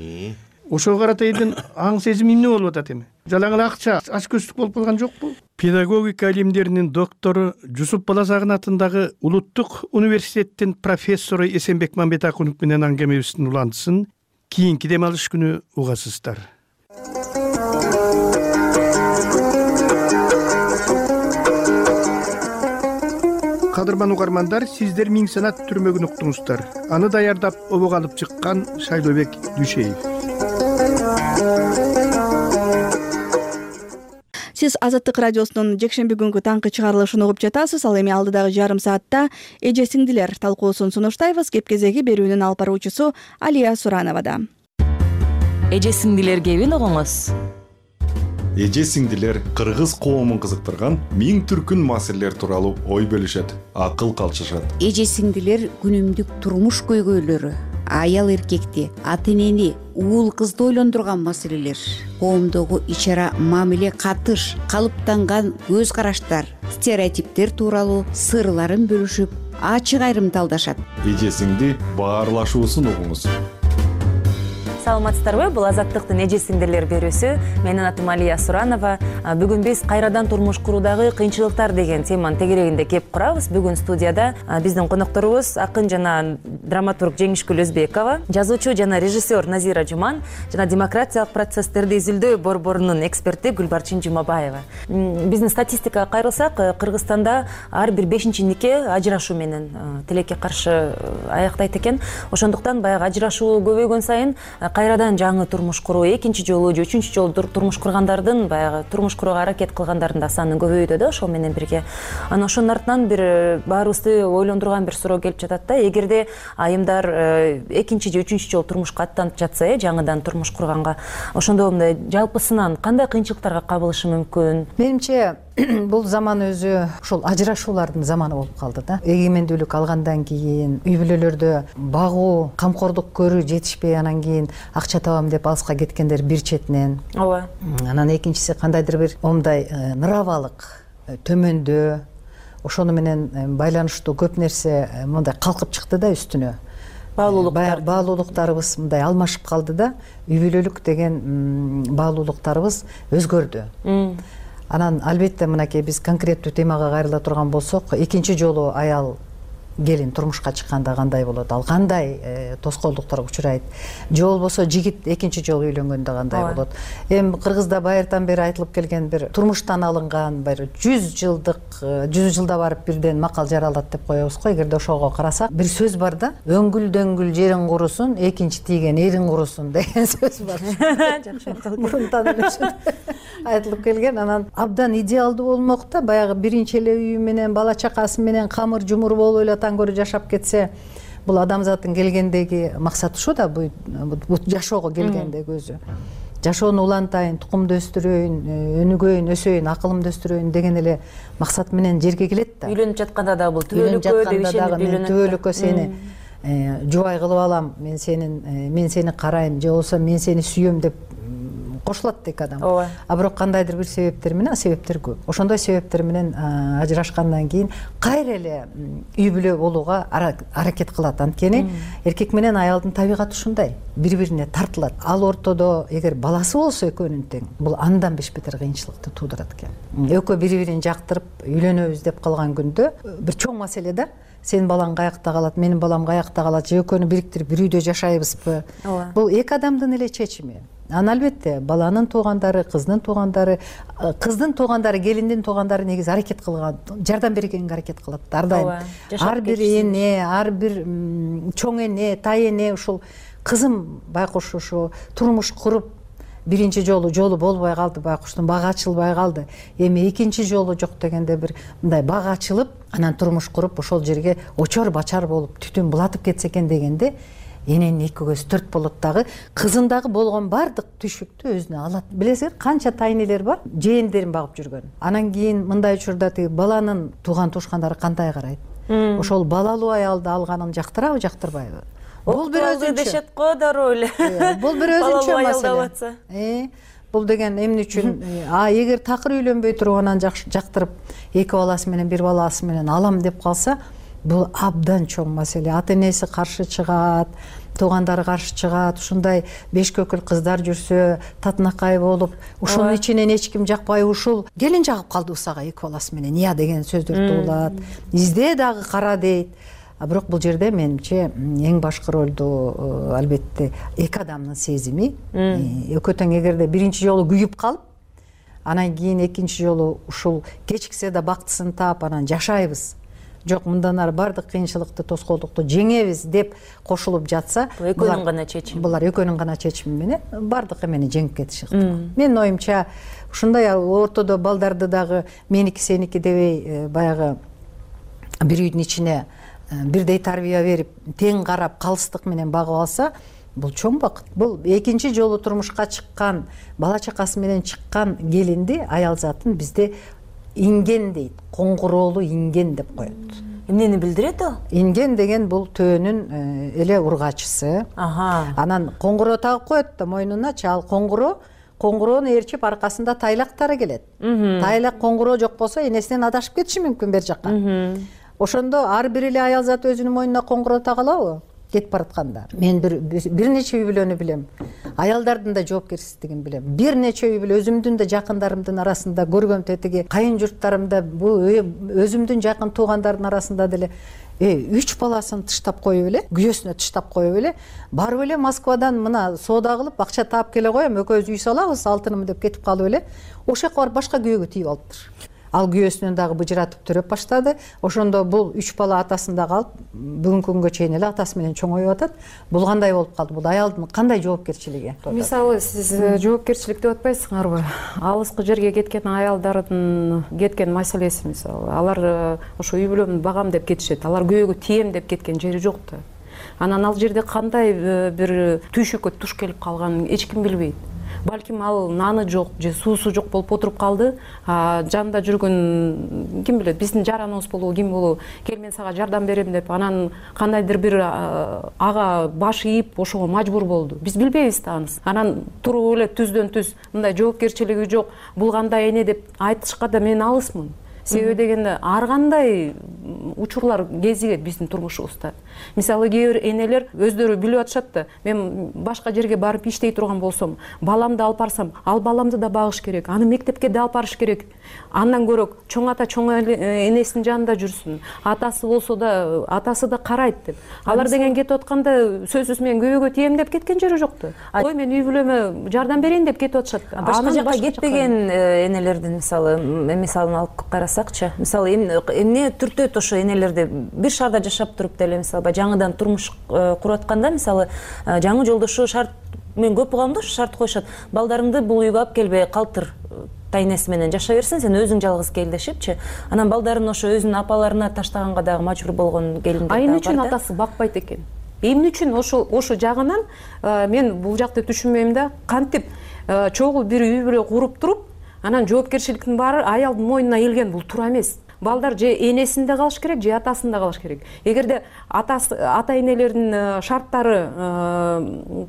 Ошого карата элдин аң сезими эмне болуп атат эми? Жалаң эле акча, ачкөздүк болуп калган жокпу? Педагогика илимдеринин доктору Жусуп Баласагын атындагы Улуттук университеттин профессору Эсенбек Мамбетакунов менен аңгемебиздин уландысын кийинки дем алыш күнү угасыздар. Кадырман угармандар, сиздер Миң Санат түрмөгүн уктуңуздар. Аны даярдап обого алып чыккан Шайлообек Дүйшеев. Сиз Азаттык радиосунун жекшемби күнгү таңкы чыгарылышын угуп жатасыз. Ал эми алдыдагы жарым саатта эже сиңдилер талкуусун сунуштайбыз. Кеп кезеги берүүнүн алып баруучусу Алия Сурановада. Эже сиңдилер кебин угуңуз. Эже сиңдилер кыргыз коомун кызыктырган миң түркүн маселелер тууралуу ой бөлүшөт, акыл калчышат. Эже сиңдилер күнүмдүк турмуш көйгөйлөрү, аял эркекти, ата энени, уул кызды ойлондурган маселелер, коомдогу ич ара мамиле, катыш, калыптанган көз караштар, стереотиптер тууралуу сырларын бөлүшүп, ачык айрымталдашат. Эжесиңди баарлашуусун угуңуз. Саламатсыздарбы? Бул Азаттыктын эже сиңдирлер берүүсү. Менин атым Алия Суранова. Бүгүн биз кайрадан турмуш куруудагы кыйынчылыктар деген теманын тегерегинде кеп курабыз. Бүгүн студияда биздин конокторубуз акын жана драматург Жеңишгүл Өзбекова, жазуучу жана режиссер Назира Жуман жана демократиялык процесстерди изилдөө борборунун эксперти Гүлбарчын Жумабаева. Биздин статистикага кайрылсак, Кыргызстанда ар бир 5-чи нике ажырашуу менен тилекке каршы аяктайт экен. Ошондуктан баягы ажырашуу көбөйгөн сайын кайрадан жаңы турмуш куруу, экинчи жолу же үчүнчү жолу турмуш кургандардын, баягы турмуш курууга аракет кылгандардын да саны көбөйүүдө да, ошол менен бирге. Анан ошонун артынан бир баарыбызды ойлондурган бир суроо келип жатат да. Эгерде айымдар экинчи же үчүнчү жолу турмушка аттанып жатса, жаңыдан турмуш курганга, ошондо мындай жалпысынан кандай кыйынчылыктарга кабылышы мүмкүн? Менимче бул заман өзү ушул ажырашуулардын заманы болуп калды да. Эгемендүүлүк алгандан кийин үй бүлөлөрдө багуу, камкордук көрүү жетишпей, анан кийин акча табам деп алыска кеткендер бир четинен. Ооба. Анан экинчиси кандайдыр бир момундай ныравалык төмөндөө, ошону менен байланыштуу көп нерсе мындай калкып чыкты да үстүнө. Баалуулуктарыбыз мындай алмашып калды да. Үй бүлөлүк деген баалуулуктарыбыз өзгөрдү. Анан албетте мынакей биз конкреттүү темага кайрыла турган болсок, экинчи жолу аял келин турмушка чыкканда кандай болот, ал кандай тоскоолдуктарга учурайт, же болбосо жигит экинчи жолу үйлөнгөндө кандай болот. Эми Кыргызда байыртан бери айтылып келген бир турмуштан алынган бир 100 жылда барып бирден макал жаралат деп коебуз го. Эгерде ошого карасак, бир сөз бар да, өңгүл-дөңгүл жериң курусун, экинчи тийген эриң курусун деген сөз бар. Жакшы мурунтан эле айтылып келген. Анан абдан идеалдуу болмок да, баягы биринчи эле үйү менен, бала чакасы менен камыр жумур болуп эле көрө жашап кетсе, бул адамзаттын келгендеги максаты ушу да, бул жашоого келгендеги өзү. Жашоону улантайын, тукумду өстүрөйүн, өнүгөйүн, өсөйүн, акылымды өстүрөйүн деген эле максат менен жерге келет да. Үйлөнүп жатканда да бул түбөлүккө деп ишенип үйлөнөт. Түбөлүккө сени жубай кылып алам, мен сени карайм, же болбосо мен сени сүйөм деп кошулат дейк адам. А бирок кандайдыр бир себептер менен, себептер көп. Ошондой себептер менен ажырашкандан кийин кайра эле үй бүлө болууга аракет кылат. Анткени эркек менен аялдын табигаты ушундай, бири-бирине тартылат. Ал ортодо эгер баласы болсо экөөнүн тең, бул андан беш-бетер кыйынчылыкты туудурат экен. Экөө бири-бирин жактырып үйлөнөбүз деп калган күндө бир чоң маселе да. Сенин балаң каякта калат, менин балам каякта калат, же экөөнү бириктирип бир үйдө жашайбызбы? Бул эки адамдын эле чечими. Анан албетте баланын туугандары, кыздын туугандары, келиндин туугандары негизи аракет кылган, жардам бергенге аракет кылат. Ар дайым. Ар бир эне, ар бир чоң эне, тай эне ушул кызым байкуш ушу турмуш куруп биринчи жолу болбой калды, байкуштун бага ачылбай калды. Эми экинчи жолу жок дегенде бир мындай бага ачылып, анан турмуш куруп ошол жерге очор бачар болуп түтүн булатып кетсе экен дегенде эненин эки көзү төрт болот дагы, кызындагы болгон бардык түйшүктү өзүнө алат. Билесиңер, канча тайнелер бар, жээндерин багып жүргөн. Анан кийин мындай учурда тиги баланын тууган туушкандары кандай карайт? Ошол балалуу аялды алганын жактырабы, жактырбайбы? Бул бир өзүнчө дешет го дароо эле. Бул бир өзүнчө маселе. Бул деген эмне үчүн? Эгер такыр үйлөнбөй туруп анан жактырып, эки баласы менен, бир баласы менен алам деп калса, бул абдан чоң маселе. Ата энеси каршы чыгат, туугандары каршы чыгат, ушундай беш көкүл кыздар жүрсө, татынакай болуп, ушунун ичинен эч ким жакпай, ушул келин жагып калды усага эки баласы менен, ыя деген сөздөрдү улат. Изде дагы кара дейт. А бирок бул жерде менимче эң башкы ролду албетте эки адамдын сезими. Экөө тең эгерде биринчи жолу күйүп калып, анан кийин экинчи жолу ушул кечиксе да бактысын таап анан жашайбыз. Жок, мындан ары бардык кыйынчылыкты, тоскоолдукту жеңебиз деп кошулуп жатса, экөөнүн гана чечими. Булар экөөнүн гана чечими менен бардык эмени жеңип кетиши ыктымал. Менин оюмча ушундай ортодо балдарды дагы меники сеники дебей баягы бир үйдүн ичине бирдей тарбия берип, тең карап, калыстык менен багып алса, бул чоң бакыт. Бул экинчи жолу турмушка чыккан, бала чакасы менен чыккан келинди аял затын бизде инген дейт, коңгуроолу инген деп коет. Эмнени билдирет ал? Инген деген бул төөнүн эле ургачысы. Анан коңгуроо тагып коет да мойнуначы, ал коңгуроону ээрчип аркасында тайлактары келет. Тайлак коңгуроо жок болсо энесинен адашып кетиши мүмкүн бер жакка. Ошондо ар бир эле аял зат өзүнүн мойнуна коңгуроо тага алабы кетип баратканда? Мен бир нече үй бүлөнү билем. Аялдардын да жоопкерчилигин билем. Бир нече үй бүлө өзүмдүн да жакындарымдын арасында көргөм, тетиги кайын журттарымда, бул өзүмдүн жакын туугандардын арасында деле 3 баласын тыштап коюп эле, күйөөсүнө тыштап коюп эле, барып эле Москвадан мына соода кылып акча таап келе коем, экөөбүз үй салабыз, алтыным деп кетип калып эле, ошол жака барып башка күйөөгө тийип алыптыр. Ал күйөөсүнөн дагы быжыратып төрөп баштады. Ошондо бул 3 бала атасында калып, бүгүнкү күнгө чейин эле атасы менен чоңоюп атат. Бул кандай болуп калды? Бул аялдын кандай жоопкерчилиги? Мисалы, сиз жоопкерчилик деп атпайсыңарбы? Алыскы жерге кеткен аялдардын кеткен маселеси, мисалы, алар ошо үй бүлөмдү багам деп кетишет. Алар күйөөгө тием деп кеткен жери жок да. Анан ал жерде кандай бир түйшүккө туш келип калганын эч ким билбейт. Балким ал наны жок же суусу жок болуп отуруп калды. Жанында жүргөн ким билет, биздин жараныбыз болобу, ким болобу, кел мен сага жардам берем деп, анан кандайдыр бир ага баш ийип ошого мажбур болду. Биз билбейбиз да анысы. Анан туруп эле түздөн түз мындай жоопкерчилиги жок, бул кандай эне деп айтышка да мен алысмын. Себеби дегенде ар кандай учурлар кезигет биздин турмушубузда. Мисалы кээ бир энелер өздөрү билип атышат да, мен башка жерге барып иштей турган болсом, баламды алып барсам, ал баламды да багыш керек, аны мектепке да алып барыш керек. Андан көрөк чоң ата чоң энесинин жанында жүрсүн. Атасы болсо да, атасы да карайт деп. Алар деген кетип атканда сөзсүз мен күйөөгө тием деп кеткен жери жок да. Ой, мен үй бүлөмө жардам берейин деп кетип атышат. Башка жака кетпеген энелердин мисалын алып карасакчы, мисалы эмне түртөт ошо энелерди бир шаарда жашап туруп деле, мисалы жаңыдан турмуш куруп атканда, мисалы жаңы жолдошу шарт, мен көп угам да, шарт коюшат. Балдарыңды бул үйгө алып келбей калтыр, тайнеси менен жаша берсин, сен өзүң жалгыз кел дешипчи. Анан балдарын ошо өзүнүн апаларына таштаганга дагы мажбур болгон келиндер дагы бар да. Эмне үчүн атасы бакпайт экен? Эмне үчүн ошо жагынан мен бул жакты түшүнбөйм да. Кантип чогуу бир үй бүлө куруп туруп, анан жоопкерчиликтин баары аялдын мойнуна келген, бул туура эмес. Балдар же энесинде калыш керек, же атасында калыш керек. Эгерде ата-энелердин шарттары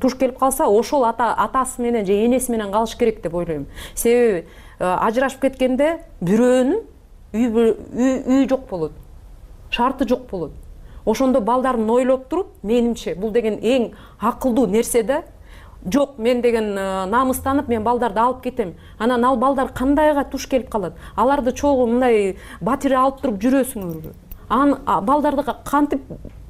туш келип калса, ошол атасы менен же энеси менен калыш керек деп ойлойм. Себеби ажырашып кеткенде бирөөнүн үй жок болот, шарты жок болот. Ошондо балдарын ойлоп туруп, менимче бул деген эң акылдуу нерсе да. Жок, мен деген намыстанып, мен балдарды алып кетем. Анан ал балдар кандайга туш келип калат? Аларды чогуу мындай батире алып туруп жүрөсүңөрбү? Балдарды кантип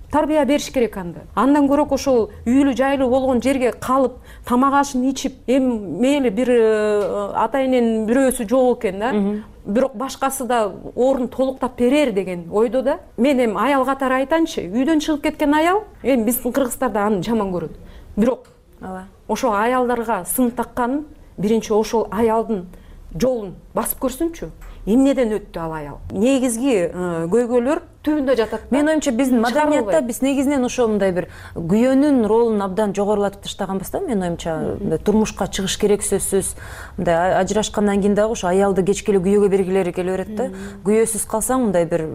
тарбия бериш керек анда? Андан көрөк ошол үйлүү жайлуу болгон жерге калып, тамак ашын ичип, мейли бир ата-эненин бирөөсү жок экен да. Бирок башкасы да орун толуктап берер деген ойдо да. Мен аял катары айтайынчы, үйдөн чыгып кеткен аял, биздин кыргыздарда аны жаман көрөт. Бирок ошо аялдарга сын такканын биринчи ошол аялдын жолун басып көрсүнчү. Эмнеден өттү ал аял? Негизги көйгөйлөр түбүндө жатат. Мен оюмча биздин маданиятта биз негизинен ошо мындай бир күйөөнүн ролун абдан жогорулатып таштаганбыз да. Мен оюмча турмушка чыгыш керек сөзсүз. Мындай ажырашкандан кийин дагы ошо аялды кечке эле күйөөгө бергилери келе берет да. Күйөөсүз калсаң мындай бир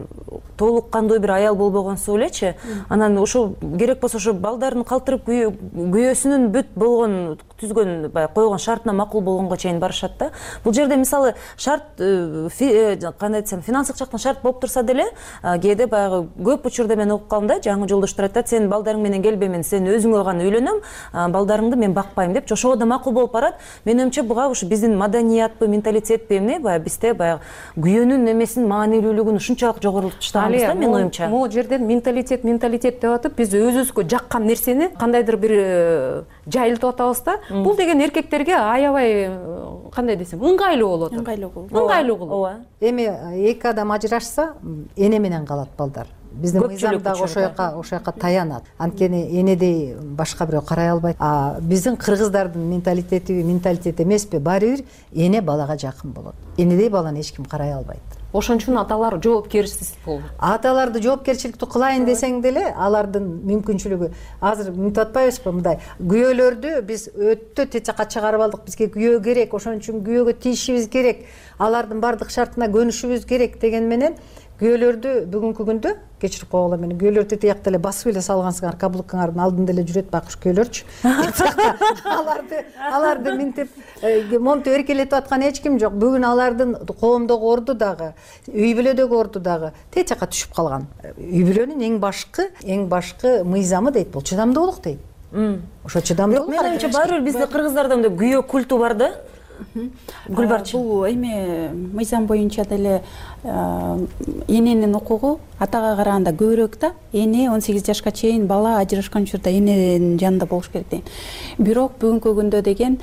толук кандуу бир аял болбогонсу элечи. Анан ошо керек болсо ошо балдарын калтырып күйөөсүнүн бүт болгон түзгөн койгон шартына макул болгонго чейин барышат да. Бул жерде мисалы шарт кандай десем, финансылык жактан шарт болуп турса деле, кээде баягы көп учурда мен окуп калдым да, жаңы жолдоштор айтат, сен балдарың менен келбеймин, сен өзүңө гана үйлөнөм, балдарыңды мен бакпайм деп, ошого да макул болуп барат. Мен оюмча буга ушу биздин маданиятпы, менталитетпи эмне, баягы бизде баягы күйөөнүн эмесин маанилүүлүгүн ушунчалык жогорултуп таштаганбыз да, мен оюмча. Могу жерден менталитет деп атып, биз өзүбүзгө жаккан нерсени кандайдыр бир жайылтып атабыз да. Бул деген эркектерге аябай кандай десем, ыңгайлуу болот. Ыңгайлуу кылуу. Эми эки адам ажырашса, эне менен калат балдар. Биздин мыйзамдагы ошо жака таянат. Анткени энедей башка бирөө карай албайт. Биздин кыргыздардын менталитети эмеспи? Баары бир эне балага жакын болот. Энедей баланы эч ким карай албайт. Ошон үчүн аталар жоопкерчилик болду. Аталарды жоопкерчиликтүү кылайын десең деле, алардын мүмкүнчүлүгү азыр мынтип атпайбызбы, мындай күйөөлөрдү биз өтө тет жакка чыгарып алдык. Бизге күйөө керек, ошон үчүн күйөөгө тийишибиз керек, алардын бардык шартына көнүшүбүз керек деген менен күйөөлөрдү бүгүнкү күндө кечирип койгула мени, күйөөлөрдү тиякта эле басып эле салгансыңар, каблукаңардын алдында эле жүрөт байкуш күйөөлөрчү. Аларды минтип монтип эркелетип аткан эч ким жок. Бүгүн алардын коомдогу орду дагы, үй бүлөдөгү орду дагы тез жакка түшүп калган. Үй бүлөнүн эң башкы мыйзамы дейт, бул чыдамдуулук дейт. Ошо чыдамдуулук. Менин оюмча баары бир бизде кыргыздарда мындай күйөө культу бар да. Гүлбарчы. Бул эми мыйзам боюнча деле эненин укугу атага караганда көбүрөөк да. Эне 18 жашка чейин бала ажырашкан учурда эненин жанында болуш керек дейт. Бирок бүгүнкү күндө деген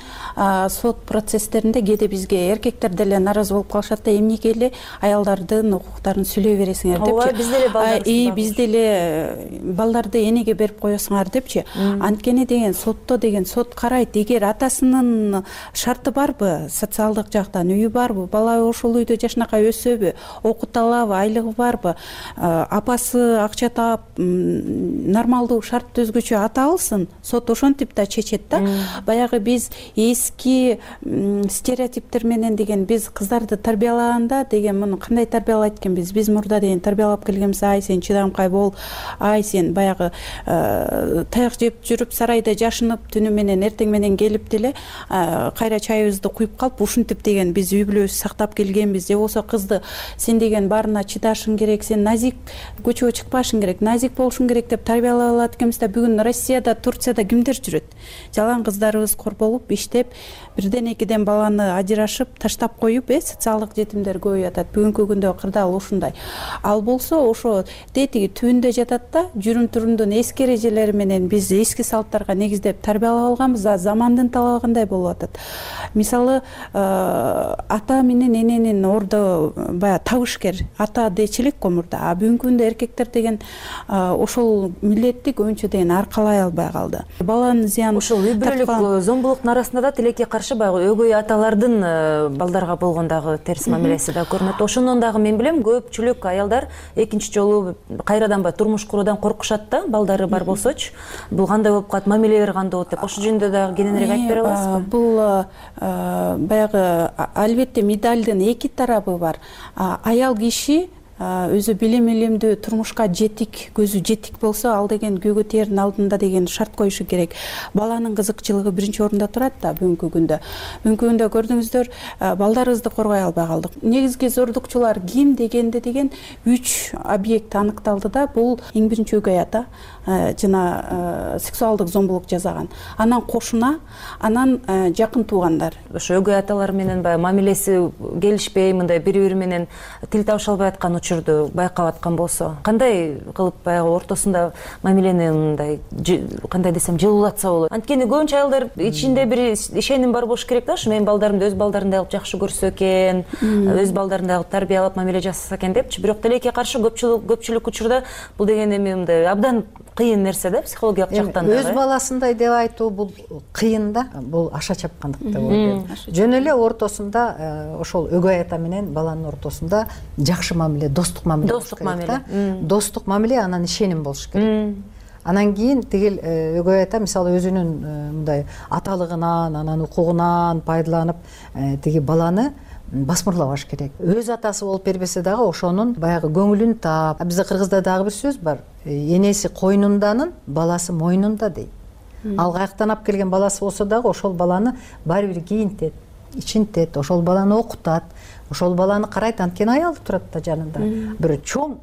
сот процесстеринде кээде бизге эркектер деле нааразы болуп калышат да, эмнеге эле аялдардын укуктарын сүйлөй бересиңер депчи. Бизде эле балдарды энеге берип коесуңар депчи. Анткени деген сотто деген сот карайт, эгер атасынын шарты барбы, социалдык жактан үйү барбы, бала ошол үйдө жашынакай өсөбү, окута алабы, айлыгы барбы, апасы акча таап нормалдуу шарт өзгөчө ата алсын, сот ошентип да чечет да. Баягы биз эски стереотиптер менен деген биз кыздарды тарбиялаганда деген муну кандай тарбиялайт экенбиз? Биз мурда деген тарбиялап келгенбиз, ай сен чыдамкай бол, ай сен баягы таяк жеп жүрүп сарайда жашынып түнү менен эртең менен келип деле кайра чайыбызды куюп калып ушинтип деген биз үй бүлөбүздү сактап келгенбиз. Же болбосо кызды сен деген баарына чыдашың керек, сен назик көчөгө чыкпашың керек, назик болушуң керек деп тарбиялап алат экенбиз да. Бүгүн Россияда, Турцияда кимдер жүрөт? Жалаң кыздарыбыз корболуп, иштеп, бирден экиден баланы ажырашып, таштап коюп, социалдык жетимдер көп жатат. Бүгүнкү күндө кырдаал ушундай. Ал болсо ошо тетиги түбүндө жатат да, жүрүм турумдун эски эрежелери менен биз эски салттарга негиздеп тарбиялап алганбыз, замандын талабындай болуп атат. Мисалы, ата менен эненин ордо баягы табышкер, ата дечилик го мурда. А бүгүнкү күндө эркектер деген ошол милдетти көбүнчө деген аркалай албай калды. Баланын зыяны ошол үй бүлөлүк зомбулуктун арасында да тилекке каршы баягы өгөй аталардын балдарга болгондагы терс мамилеси да көрүнөт. Ошондон дагы мен билем, көпчүлүк аялдар экинчи жолу кайрадан баягы турмуш куруудан коркушат да, балдары бар болсочу. Бул кандай болуп калат, мамилелер кандай болот деп. Ошол жөнүндө дагы кененирээк айтып бере аласызбы? Бул баягы албетте медалдын эки тарабы бар. Аял киши өзү билим илимдүү, турмушка жетик, көзү жетик болсо, ал деген күйгө тээрдин алдында деген шарт коюшу керек. Баланын кызыкчылыгы биринчи орунда турат да бүгүнкү күндө. Бүгүнкү күндө көрдүңүздөр, балдарыбызды коргой албай калдык. Негизги зордукчулар ким дегенде деген 3 объект аныкталды да. Бул эң биринчи өгөй ата, жана сексуалдык зомбулук жасаган. Анан кошуна, анан жакын туугандар. Ошо өгөй аталар менен баягы мамилеси келишпей, мындай бири-бири менен тил табыша албай аткан учурду байкап аткан болсо, кандай кылып баягы ортосунда мамилени мындай кандай десем жылуулатса болот? Анткени көбүнчө аялдар ичинде бир ишеним бар болуш керек да, ушу менин балдарымды өз балдарындай кылып жакшы көрсө экен, өз балдарындай кылып тарбиялап мамиле жасаса экен депчи. Бирок тилекке каршы көпчүлүк учурда бул деген эми мындай абдан кыйын нерсе да, психологиялык жактан да. Өз баласындай деп айтуу бул кыйын да, бул аша чапкандык деп ойлойм. Жөн эле ортосунда ошол өгөй ата менен баланын ортосунда жакшы мамиле, достук мамиле. Достук мамиле, анан ишеним болуш керек. Анан кийин тигил өгөй ата мисалы өзүнүн мындай аталыгынан, анан укугунан пайдаланып тиги баланы басмырлабаш керек. Өз атасы болуп бербесе дагы ошонун баягы көңүлүн таап, бизде кыргызда дагы бир сөз бар. Энеси койнунданын, баласы мойнунда дейт. Ал каяктан алып келген баласы болсо дагы ошол баланы баары бир кийинтет, ичинтет, ошол баланы окутат, ошол баланы карайт, анткени аялы турат да жанында. Бир чоң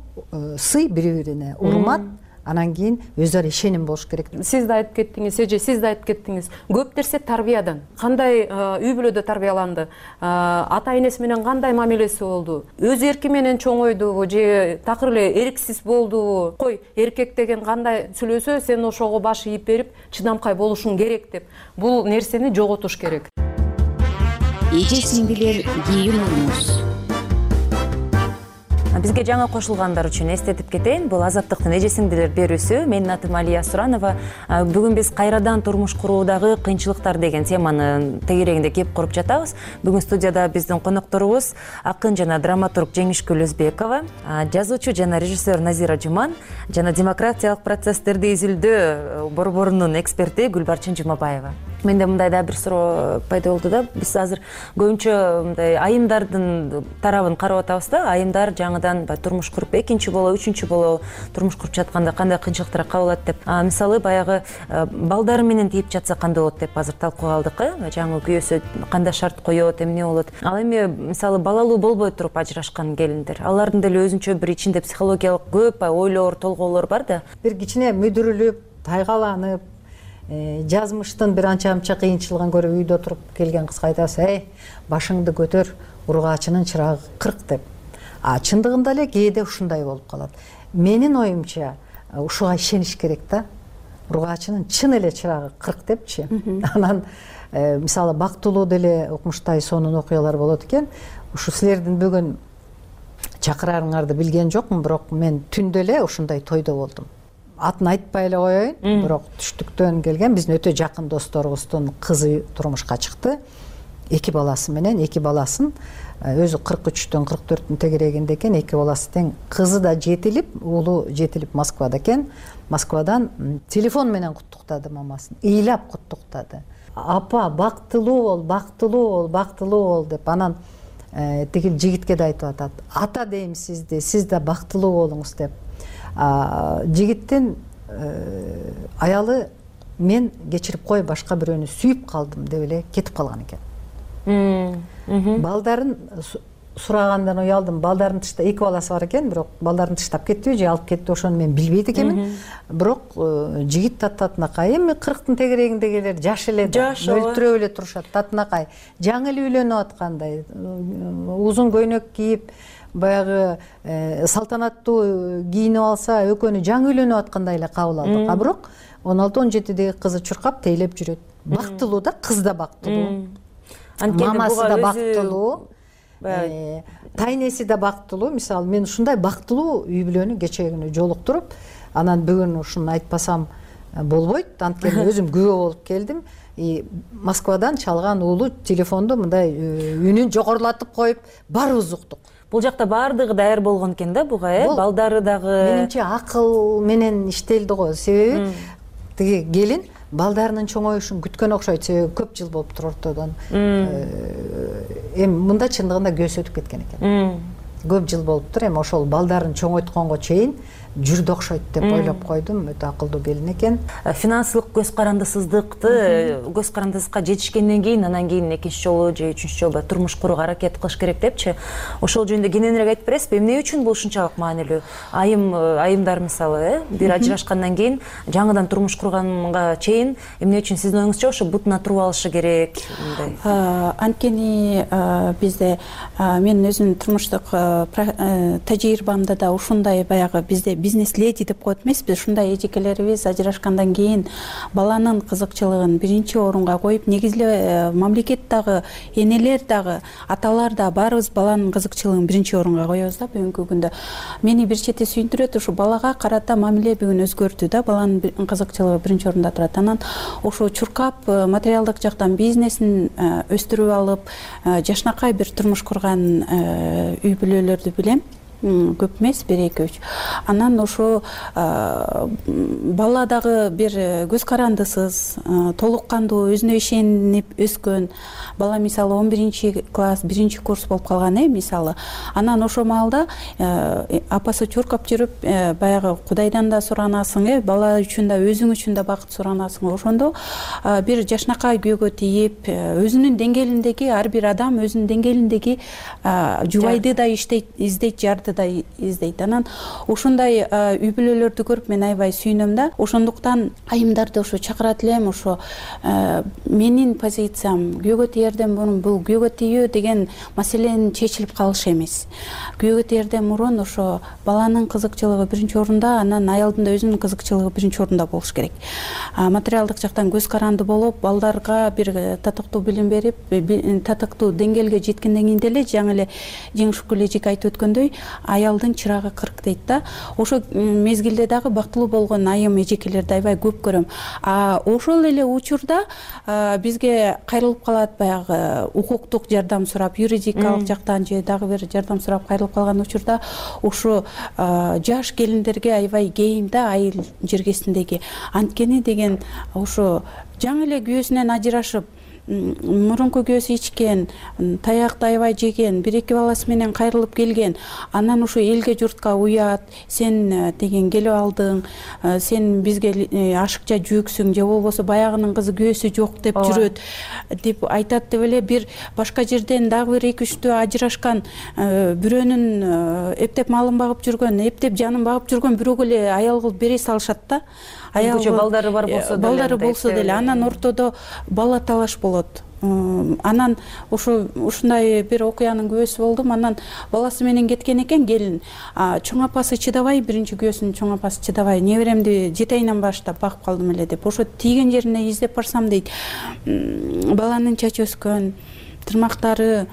сый бири-бирине, урмат, анан кийин өз ара ишеним болуш керек. Сиз да айтып кеттиңиз, сиз да айтып кеттиңиз. Көп нерсе тарбиядан. Кандай үй бүлөдө тарбияланды? Ата энеси менен кандай мамилеси болду? Өз эрки менен чоңойдубу же такыр эле эрксиз болдубу? Кой, эркек деген кандай сүйлөсө, сен ошого баш ийип берип, чыдамкай болушуң керек деп. Бул нерсени жоготуш керек. Эже сиңдилер, кийин уруңуз. Бизге жаңы кошулгандар үчүн эстетип кетейин. Бул Азаттыктын эже сиңдилер берүүсү. Менин атым Алия Суранова. Бүгүн биз кайрадан турмуш куруудагы кыйынчылыктар деген теманы тегерегинде кеп коруп жатабыз. Бүгүн студияда биздин конокторубуз акын жана драматург Жеңишгүл Өзбекова, жазуучу жана режиссер Назира Жуман жана демократиялык процесстерди изилдөө борборунун эксперти Гүлбарчын Жумабаева. менде мындай да бир суроо пайда болду да. Биз азыр көбүнчө мындай айымдардын тарабын карап атабыз да. Айымдар жаңыдан турмуш куруп, экинчи болобу, үчүнчү болобу турмуш куруп жатканда кандай кыйынчылыктар кабыл алат деп. Мисалы баягы балдары менен тийип жатса кандай болот деп азыр талкууга алдык. Жаңы күйөөсү кандай шарт коет, эмне болот? Ал эми мисалы балалуу болбой туруп ажырашкан келиндер. Алардын деле өзүнчө бир ичинде психологиялык көп ойлор, толгоолор бар да. Бир кичине мүдүрүлүп, тайгаланып, жазмыштын бир анча кыйынчылыгын көрүп үйдө отуруп келген кызга айтасыз, башыңды көтөр, ургаачынын чырагы 40 деп. Чындыгында эле кээде ушундай болуп калат. Менин оюмча ушуга ишениш керек да. Ургаачынын чын эле чырагы 40 депчи. Анан мисалы бактылуу деле укмуштай сонун окуялар болот экен. Ушу силердин бүгүн чакырарыңарды билген жокмун, бирок мен түндө эле ушундай тойдо болдум. Атын айтпай эле коеюн, бирок түштүктөн келген биздин өтө жакын досторубуздун кызы турмушка чыкты. 2 баласы менен, 2 баласын өзү 43-төн 44-түн тегерегинде экен, 2 баласы тең. Кызы да жетилип, уулу жетилип Москвада экен. Москвадан телефон менен куттуктады мамасын. Ыйлап куттуктады. Апа, бактылуу бол, бактылуу бол, бактылуу бол деп. Анан тигил жигитке да айтып атат. Ата дейм сизди, сиз да бактылуу болуңуз деп. Жигиттин аялы мен кечирип кой, башка бирөөнү сүйүп калдым деп эле кетип калган экен. Балдарын сурагандан уялдым. Балдарын тышта 2 баласы бар экен, бирок балдарын тыштап кеттиби же алып кетти, ошону мен билбейт экенмин. Бирок жигит татынакай, эми 40-тын тегерегиндегилер жаш эле да, мөлтүрөп эле турушат. Татынакай жаңы эле үйлөнүп аткандай, узун көйнөк кийип, баягы салтанаттуу кийинип алса, экөөнү жаңы үйлөнүп аткандай эле кабыл алдык. Бирок 16-17деги кызы чуркап тейлеп жүрөт. Бактылуу да, кыз да бактылуу. Мамасы да бактылуу. Тайнеси да бактылуу. Мисалы мен ушундай бактылуу үй бүлөнү кечээ күнү жолуктуруп, анан бүгүн ушуну айтпасам болбойт. Анткени өзүм күбө болуп келдим. Москвадан чалган уулу телефонду мындай үнүн жогорулатып коюп, барыбыз уктук. Бул жакта баардыгы даяр болгон экен да буга, балдары дагы. Менимче акыл менен иштелди го. Себеби тиги келин балдарынын чоңоюшун күткөн окшойт, себеби көп жыл болуптур ортодон. Эми мында чындыгында көз өтүп кеткен экен. Көп жыл болуптур, эми ошол балдарын чоңойтконго чейин жүрдү окшойт деп ойлоп койдум. Өтө акылдуу келин экен. Финансылык көз карандысыздыкты, көз карандысызга жетишкенден кийин, анан кийин экинчи жолу же үчүнчү жолу турмуш курууга аракет кылыш керек депчи. Ошол жөнүндө кененирээк айтып бересизби? Эмне үчүн бул ушунчалык маанилүү? Айымдар мисалы, бир ажырашкандан кийин, жаңыдан турмуш курганга чейин эмне үчүн сиздин оюңузча ошо бутуна туруп алышы керек? Анткени бизде мен өзүмдүн турмуштук тажрыйбамда да ушундай баягы бизде бизнес леди деп коет эмеспи, ушундай эжекелерибиз ажырашкандан кийин баланын кызыкчылыгын биринчи орунга коюп, негизи эле мамлекет дагы, энелер дагы, аталар да баарыбыз баланын кызыкчылыгын биринчи орунга коебуз да бүгүнкү күндө. Мени бир чети сүйүндүрөт, ушу балага карата мамиле бүгүн өзгөрдү да, баланын кызыкчылыгы биринчи орунда турат. Анан ошо чуркап материалдык жактан бизнесин өстүрүп алып, жашнакай бир турмуш курган үй бүлөлөрдү билем. Көп эмес, 1-2-3. Анан ошо бала дагы бир көз карандысыз, толук кандуу, өзүнө ишенип өскөн бала, мисалы 11-класс, 1-курс болуп калган, мисалы. Анан ошо маалда апасы чуркап жүрүп, баягы Кудайдан да суранасың, бала үчүн да, өзүң үчүн да бакыт суранасың. Ошондо бир жашнакай күйөөгө тийип, өзүнүн деңгээлиндеги ар бир адам өзүнүн деңгээлиндеги жубайды да издейт, жарды да издейт. Анан ушундай үй бүлөлөрдү көрүп мен аябай сүйүнөм да. Ошондуктан айымдарды ошо чакырат элем. Ошо менин позициям күйөөгө тиерден мурун бул күйөөгө тийүү деген маселенин чечилип калышы эмес. Күйөөгө тиерден мурун ошо баланын кызыкчылыгы биринчи орунда, анан аялдын да өзүнүн кызыкчылыгы биринчи орунда болуш керек. Материалдык жактан көз каранды болуп, балдарга бир татыктуу билим берип, татыктуу деңгээлге жеткенден кийин деле жаңы эле Жеңиш Шүкүрлежик айтып өткөндөй, аялдын чырагы 40 дейт да. Ошо мезгилде дагы бактылуу болгон айым эжекелерди аябай көп көрөм. Ошол эле учурда бизге кайрылып калат баягы укуктук жардам сурап, юридикалык жактан же дагы бир жардам сурап кайрылып калган учурда ушу жаш келиндерге аябай кейим да айыл жергесиндеги. Анткени деген ушу жаңы эле күйөөсүнөн ажырашып, мурунку күйөөсү ичкен, таякты аябай жеген, 1-2 баласы менен кайрылып келген, анан ушу элге журтка уят, сен деген келип алдың, сен бизге ашыкча жүксүң, же болбосо баягынын кызы күйөөсү жок деп жүрөт деп айтат деп эле бир башка жерден дагы бир 2-3 ажырашкан бирөөнүн эптеп малын багып жүргөн, эптеп жанын багып жүргөн бирөөгө эле аял кылып бере салышат да. Өзгөчө балдары бар болсо деле. Балдары болсо деле, анан ортодо бала талаш болот. Анан ушундай бир окуянын күбөсү болдум. Анан баласы менен кеткен экен келин. Чоң апасы чыдабай, биринчи күбөсүнүн чоң апасы чыдабай, неберемди 7 айынан баштап багып калдым эле деп. Ошо тийген жерине издеп барсам дейт, баланын чачы өскөн, тырмактары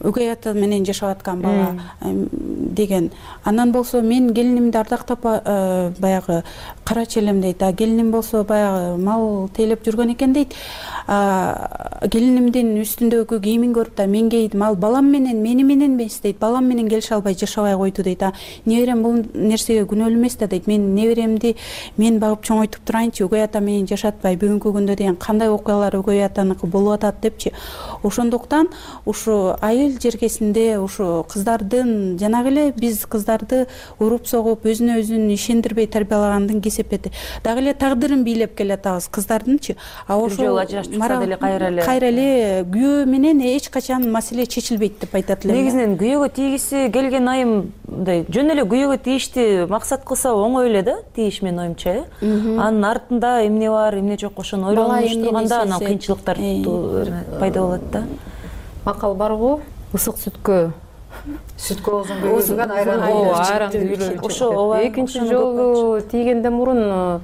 өгөй ата менен жашап аткан бала деген. Анан болсо мен келинимди ардактап баягы карачы элем дейт. Келиним болсо баягы мал тейлеп жүргөн экен дейт. Келинимдин үстүндөгү кийимин көрүп да мен кейдим, ал балам менен мени менен эмес дейт. Балам менен келише албай жашабай койду дейт. Неберем бул нерсеге күнөөлүү эмес да дейт. Мен неберемди мен багып чоңойтуп турайынчы, өгөй ата менен жашатпай бүгүнкү күндө деген кандай окуялар өгөй атаныкы болуп атат депчи. Ошондуктан ушу айыл жергесинде ушу кыздардын жанагы эле биз кыздарды уруп согуп өзүнө өзүн ишендирбей тарбиялагандын кесепети. Дагы эле тагдырын бийлеп келатабыз кыздардынчы. Ошол кайра эле күйөө менен эч качан маселе чечилбейт деп айтат элем. Негизинен күйөөгө тийгиси келген айым мындай жөн эле күйөөгө тийишти максат кылса оңой эле да, тийиш менин оюмча. Анын артында эмне бар, эмне жок ошону ойлонуш турганда анан кыйынчылыктар пайда болот да. Макал барбы? Ысык сүткө оозун күйгүзгөн айран күйгүлөр. Ошо экинчи жолу тийгенден мурун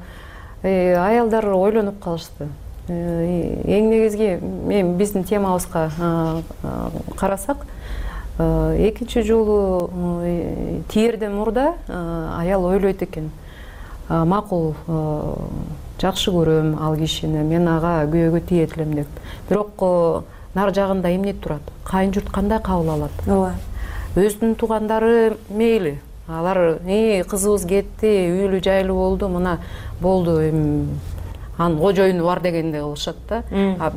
аялдар ойлонуп калышты. Эң негизги мен биздин темабызга карасак, экинчи жолу тийерден мурда аял ойлойт экен. Макул, жакшы көрөм ал кишини, мен ага күйөөгө тиет элем деп. Бирок нар жагында эмне турат? Кайын журт кандай кабыл алат? Ооба. Өзүнүн туугандары мейли. Алар кызыбыз кетти, үйлүү жайлуу болду, мына болду, анын кожоюну бар дегендей кылышат да.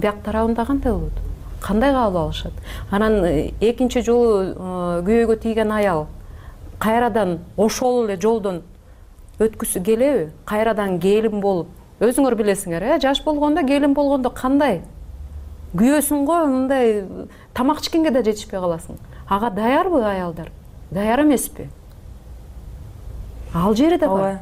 Бияк тарабында кандай болот? Кандай кабыл алышат? Анан экинчи жолу күйөөгө тийген аял кайрадан ошол эле жолдон өткүсү келеби? Кайрадан келин болуп, өзүңөр билесиңер, жаш болгондо, келин болгондо кандай? Күйөөсүң го, мындай тамак ичкенге да жетишпей каласың. Ага даярбы аялдар? Даяр эмеспи? Ал жери да бар.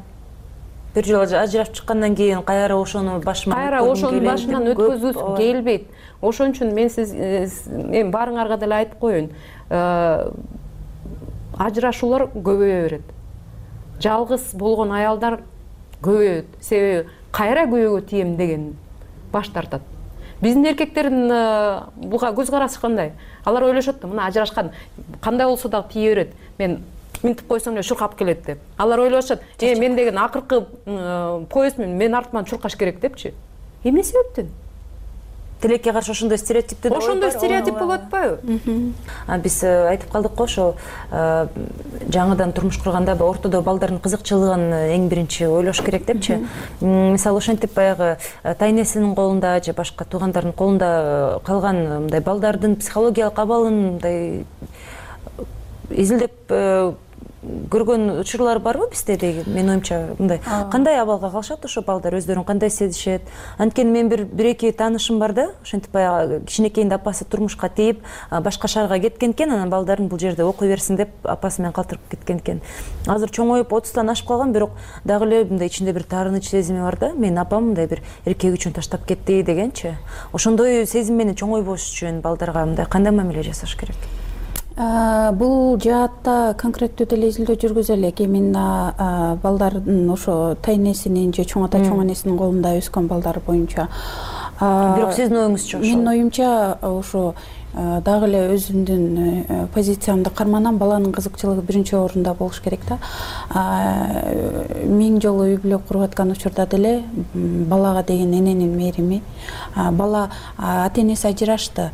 Бир жолу ажырашып чыккандан кийин кайра ошону башынан өткөзүп келбейт. Ошон үчүн мен баарыңарга деле айтып коеюн. Ажырашуулар көбөйө берет. Жалгыз болгон аялдар көбөйөт. Себеби кайра күйөөгө тием деген баш тартат. Биздин эркектердин буга көз карашы кандай? Алар ойлошот да, мына ажырашкан кандай болсо дагы тие берет. Мен минтип койсом эле чуркап келет деп. Алар ойлошот, мен деген акыркы поездмин, мен артыман чуркаш керек депчи. Эмне себептен? Тилекке каршы ошондой стереотиптер болот. Ошондой стереотип болуп атпайбы? Биз айтып калдык го, ошо жаңыдан турмуш курганда ортодо балдардын кызыкчылыгын эң биринчи ойлош керек депчи. Мисалы ошентип баягы тайнесинин колунда же башка туугандардын колунда калган мындай балдардын психологиялык абалын мындай изилдеп көргөн учурлар барбы бизде деген? Менин оюмча мындай кандай абалга калышат ошо балдар, өздөрүн кандай сезишет? Анткени мен бир-эки таанышым бар да, ошентип баягы кичинекейинде апасы турмушка тийип, башка шаарга кеткен экен, анан балдарын бул жерде окуй берсин деп апасы менен калтырып кеткен экен. Азыр чоңоюп 30тан ашып калган, бирок дагы эле мындай ичинде бир таарыныч сезими бар да. Менин апам мындай бир эркек үчүн таштап кетти дегенчи. Ошондой сезим менен чоңойбош үчүн балдарга мындай кандай мамиле жасаш керек? Бул жаатта конкреттүү деле изилдөө жүргүзө элек. Эми балдардын ошо тайнесинин же чоң ата чоң энесинин колунда өскөн балдар боюнча. Бирок сиздин оюңузча ошо? Менин оюмча ошо дагы эле өзүмдүн позициямды карманам. Баланын кызыкчылыгы биринчи орунда болуш керек да. Миң жолу үй бүлө куруп аткан учурда деле балага деген эненин мээрими, бала ата энеси ажырашты,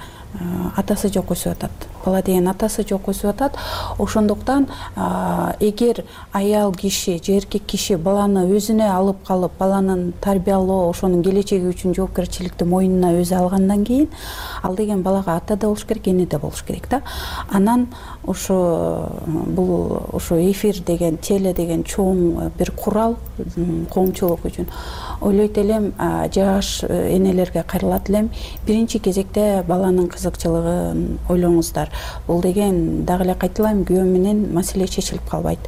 атасы жок өсүп атат. Бала деген атасы жок өсүп атат. Ошондуктан эгер аял киши же эркек киши баланы өзүнө алып калып, баланын тарбиялоо, ошонун келечеги үчүн жоопкерчиликти мойнуна өзү алгандан кийин, ал деген балага ата да болуш керек, эне да болуш керек да. Анан ошо эфир деген, теле деген чоң бир курал коомчулук үчүн. Ойлойт элем, жаш энелерге кайрылат элем, биринчи кезекте баланын кызыкчылыгын ойлоңуздар. Бул деген дагы эле кайталайм, күйөө менен маселе чечилип калбайт.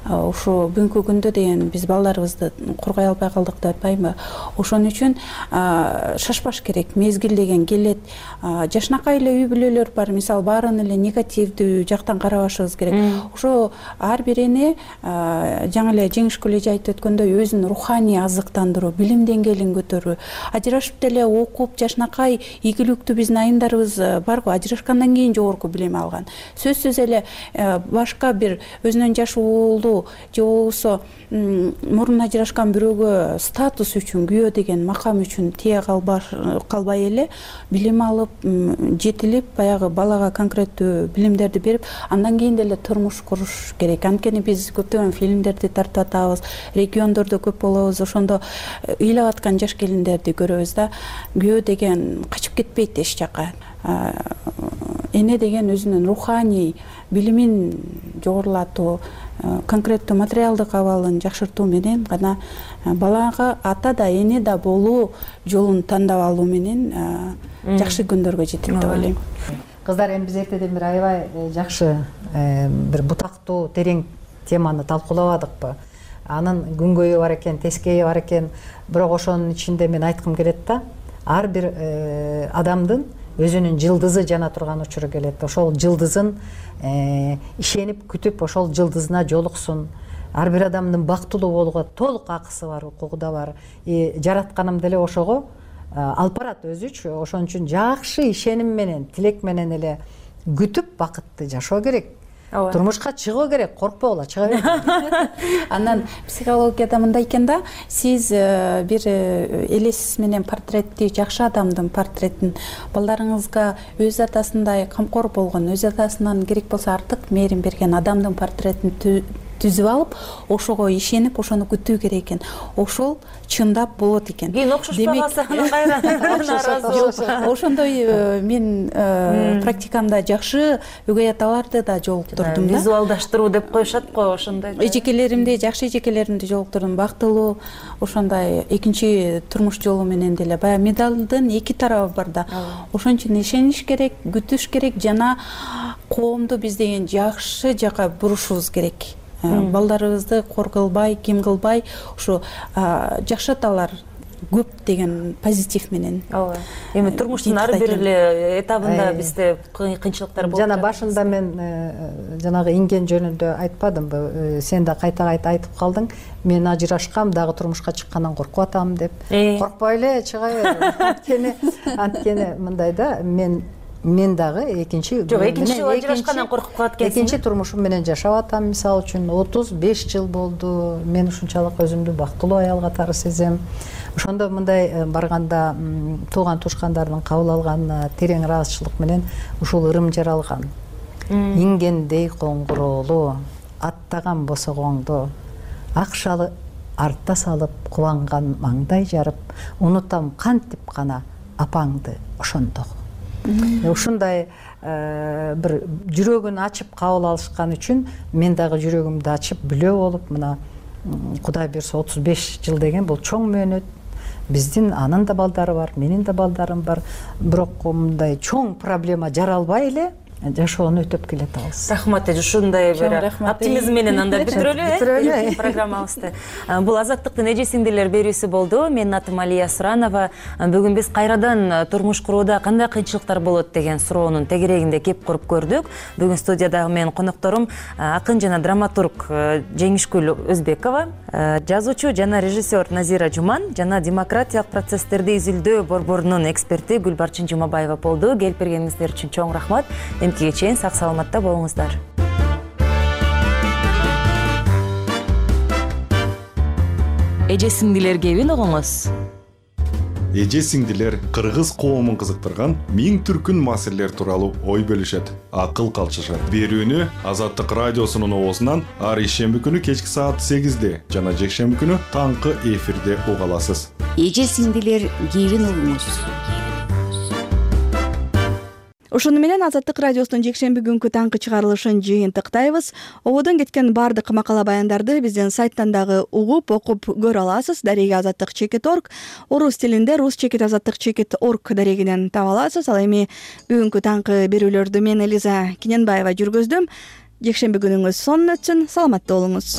Ошо бүгүнкү күндө деген биз балдарыбызды коргой албай калдык деп атпаймынбы? Ошон үчүн шашпаш керек. Мезгил деген келет. Жашынакай эле үй бүлөлөр бар. Мисалы, баарын эле негативдүү жактан карабашыбыз керек. Ошо ар бир эне жаңы эле Жеңиш коллежи айтып өткөндөй өзүн руханий азыктандыруу, билим деңгээлин көтөрүү, ажырашып деле окуп, жашынакай ийгиликтүү биздин айымдарыбыз барго, ажырашкандан кийин жогорку билим алган. Сөзсүз эле башка бир өзүнөн жаш уулу же болбосо мурун ажырашкан бирөөгө статус үчүн, күйөө деген макам үчүн тие калбай эле билим алып, жетилип, баягы балага конкреттүү билимдерди берип, андан кийин деле турмуш куруш керек. Анткени биз көптөгөн фильмдерди тартып атабыз, региондордо көп болобуз, ошондо ыйлап аткан жаш келиндерди көрөбүз да. Күйөө деген качып кетпейт эч жака. Эне деген өзүнүн руханий билимин жогорулатуу, конкреттүү материалдык абалын жакшыртуу менен гана балага ата да эне да болуу жолун тандап алуу менен жакшы күндөргө жетет деп ойлойм. Кыздар, эми биз эртеден бери аябай жакшы бир бутактуу, терең теманы талкуулабадыкпы? Анын күнгөйү бар экен, тескейи бар экен. Бирок ошонун ичинде мен айткым келет да, ар бир адамдын өзүнүн жылдызы жана турган учуру келет. Ошол жылдызын ишенип, күтүп, ошол жылдызына жолуксун. Ар бир адамдын бактылуу болууга толук акысы бар, укугу да бар. Жаратканым деле ошого алып барат өзүчү. Ошон үчүн жакшы ишеним менен, тилек менен эле күтүп бакытты жашоо керек. Турмушка чыгуу керек, коркпогула, чыга бер. Анан психологияда мындай экен да, сиз бир элесиз менен портретти, жакшы адамдын портретин, балдарыңызга өз атасындай камкор болгон, өз атасынан керек болсо артык мээрим берген адамдын портретин түзүп алып, ошого ишенип, ошону күтүү керек экен. Ошол чындап болот экен. Кийин окшошпагаса анан кайра. Ошондой мен практикамда жакшы өгөй аталарды да жолуктурдум да. Визуалдаштыруу деп коюшат го, ошондой. Эжекелеримди, жакшы эжекелеримди жолуктурдум, бактылуу, ошондой экинчи турмуш жолу менен деле. Баягы медалдын эки тарабы бар да. Ошон үчүн ишениш керек, күтүш керек жана коомду биз деген жакшы жака бурушубуз керек. Балдарыбызды кор кылбай, ким кылбай, ушу жакшы аталар көп деген позитив менен. Ооба. Эми турмуштун ар бир эле этабында бизде кыйынчылыктар болот. Жана башында мен жанагы инген жөнүндө айтпадымбы? Сен да кайта-кайта айтып калдың. Мен ажырашкам, дагы турмушка чыккандан коркуп атам деп. Коркпой эле чыга бер. Анткени мындай да, мен дагы экинчи жол ажырашкандан коркуп калат экенсиң. Экинчи турмушум менен жашап атам, мисалы үчүн 35 жыл болду. Мен ушунчалык өзүмдү бактылуу аял катары сезем. Ошондо мындай барганда тууган тушкандардын кабыл алган терең ыраазычылык менен ушул ырым жаралган. Ингендей коңгуроолу, аттаган босогоңду, ак шалы артта салып, кубанган маңдай жарып, унутам кантип гана апаңды ошондогу. Ушундай бир жүрөгүн ачып кабыл алышкан үчүн мен дагы жүрөгүмдү ачып бүлө болуп, мына Кудай берсе 35 жыл деген бул чоң мөөнөт. Биздин анын да балдары бар, менин да балдарым бар. Бирок мындай чоң проблема жаралбай эле жашоону өтөп келатабыз. Рахмат эже, ушундай бир оптимизм менен анда бүтүрөлү программабызды. Бул Азаттыктын эже сиңдилер берүүсү болду. Менин атым Алия Суранова. Бүгүн биз кайрадан турмуш курууда кандай кыйынчылыктар болот деген суроонун тегерегинде кеп коруп көрдүк. Бүгүн студиядагы менин конокторум акын жана драматург Жеңишгүл Өзбекова, жазуучу жана режиссер Назира Жуман жана демократиялык процесстерди изилдөө борборунун эксперти Гүлбарчын Жумабаева болду. Келип бергениңиздер үчүн чоң рахмат. Эмкиге чейин сак саламатта болуңуздар. Эже сиңдилер кебин угуңуз. Эже сиңдилер кыргыз коомун кызыктырган миң түркүн маселелер тууралуу ой бөлүшөт, акыл калчышат. Берүүнү Азаттык радиосунун оозунан ар ишемби күнү кечки саат 8-де жана жекшемби күнү таңкы эфирде уга аласыз. Эже сиңдилер кебин угуңуз. Ошону менен Азаттык радиосунун жекшемби күнкү таңкы чыгарылышын жыйынтыктайбыз. Ободон кеткен бардык макала баяндарды биздин сайттан дагы угуп, окуп көрө аласыз. Дареги azattik.org, орус тилинде ruschekit.azattik.org дарегинен таба аласыз. Ал эми бүгүнкү таңкы берүүлөрдү мен Элиза Киненбаева жүргүздүм. Жекшемби күнүңүз сонун өтсүн, саламатта болуңуз.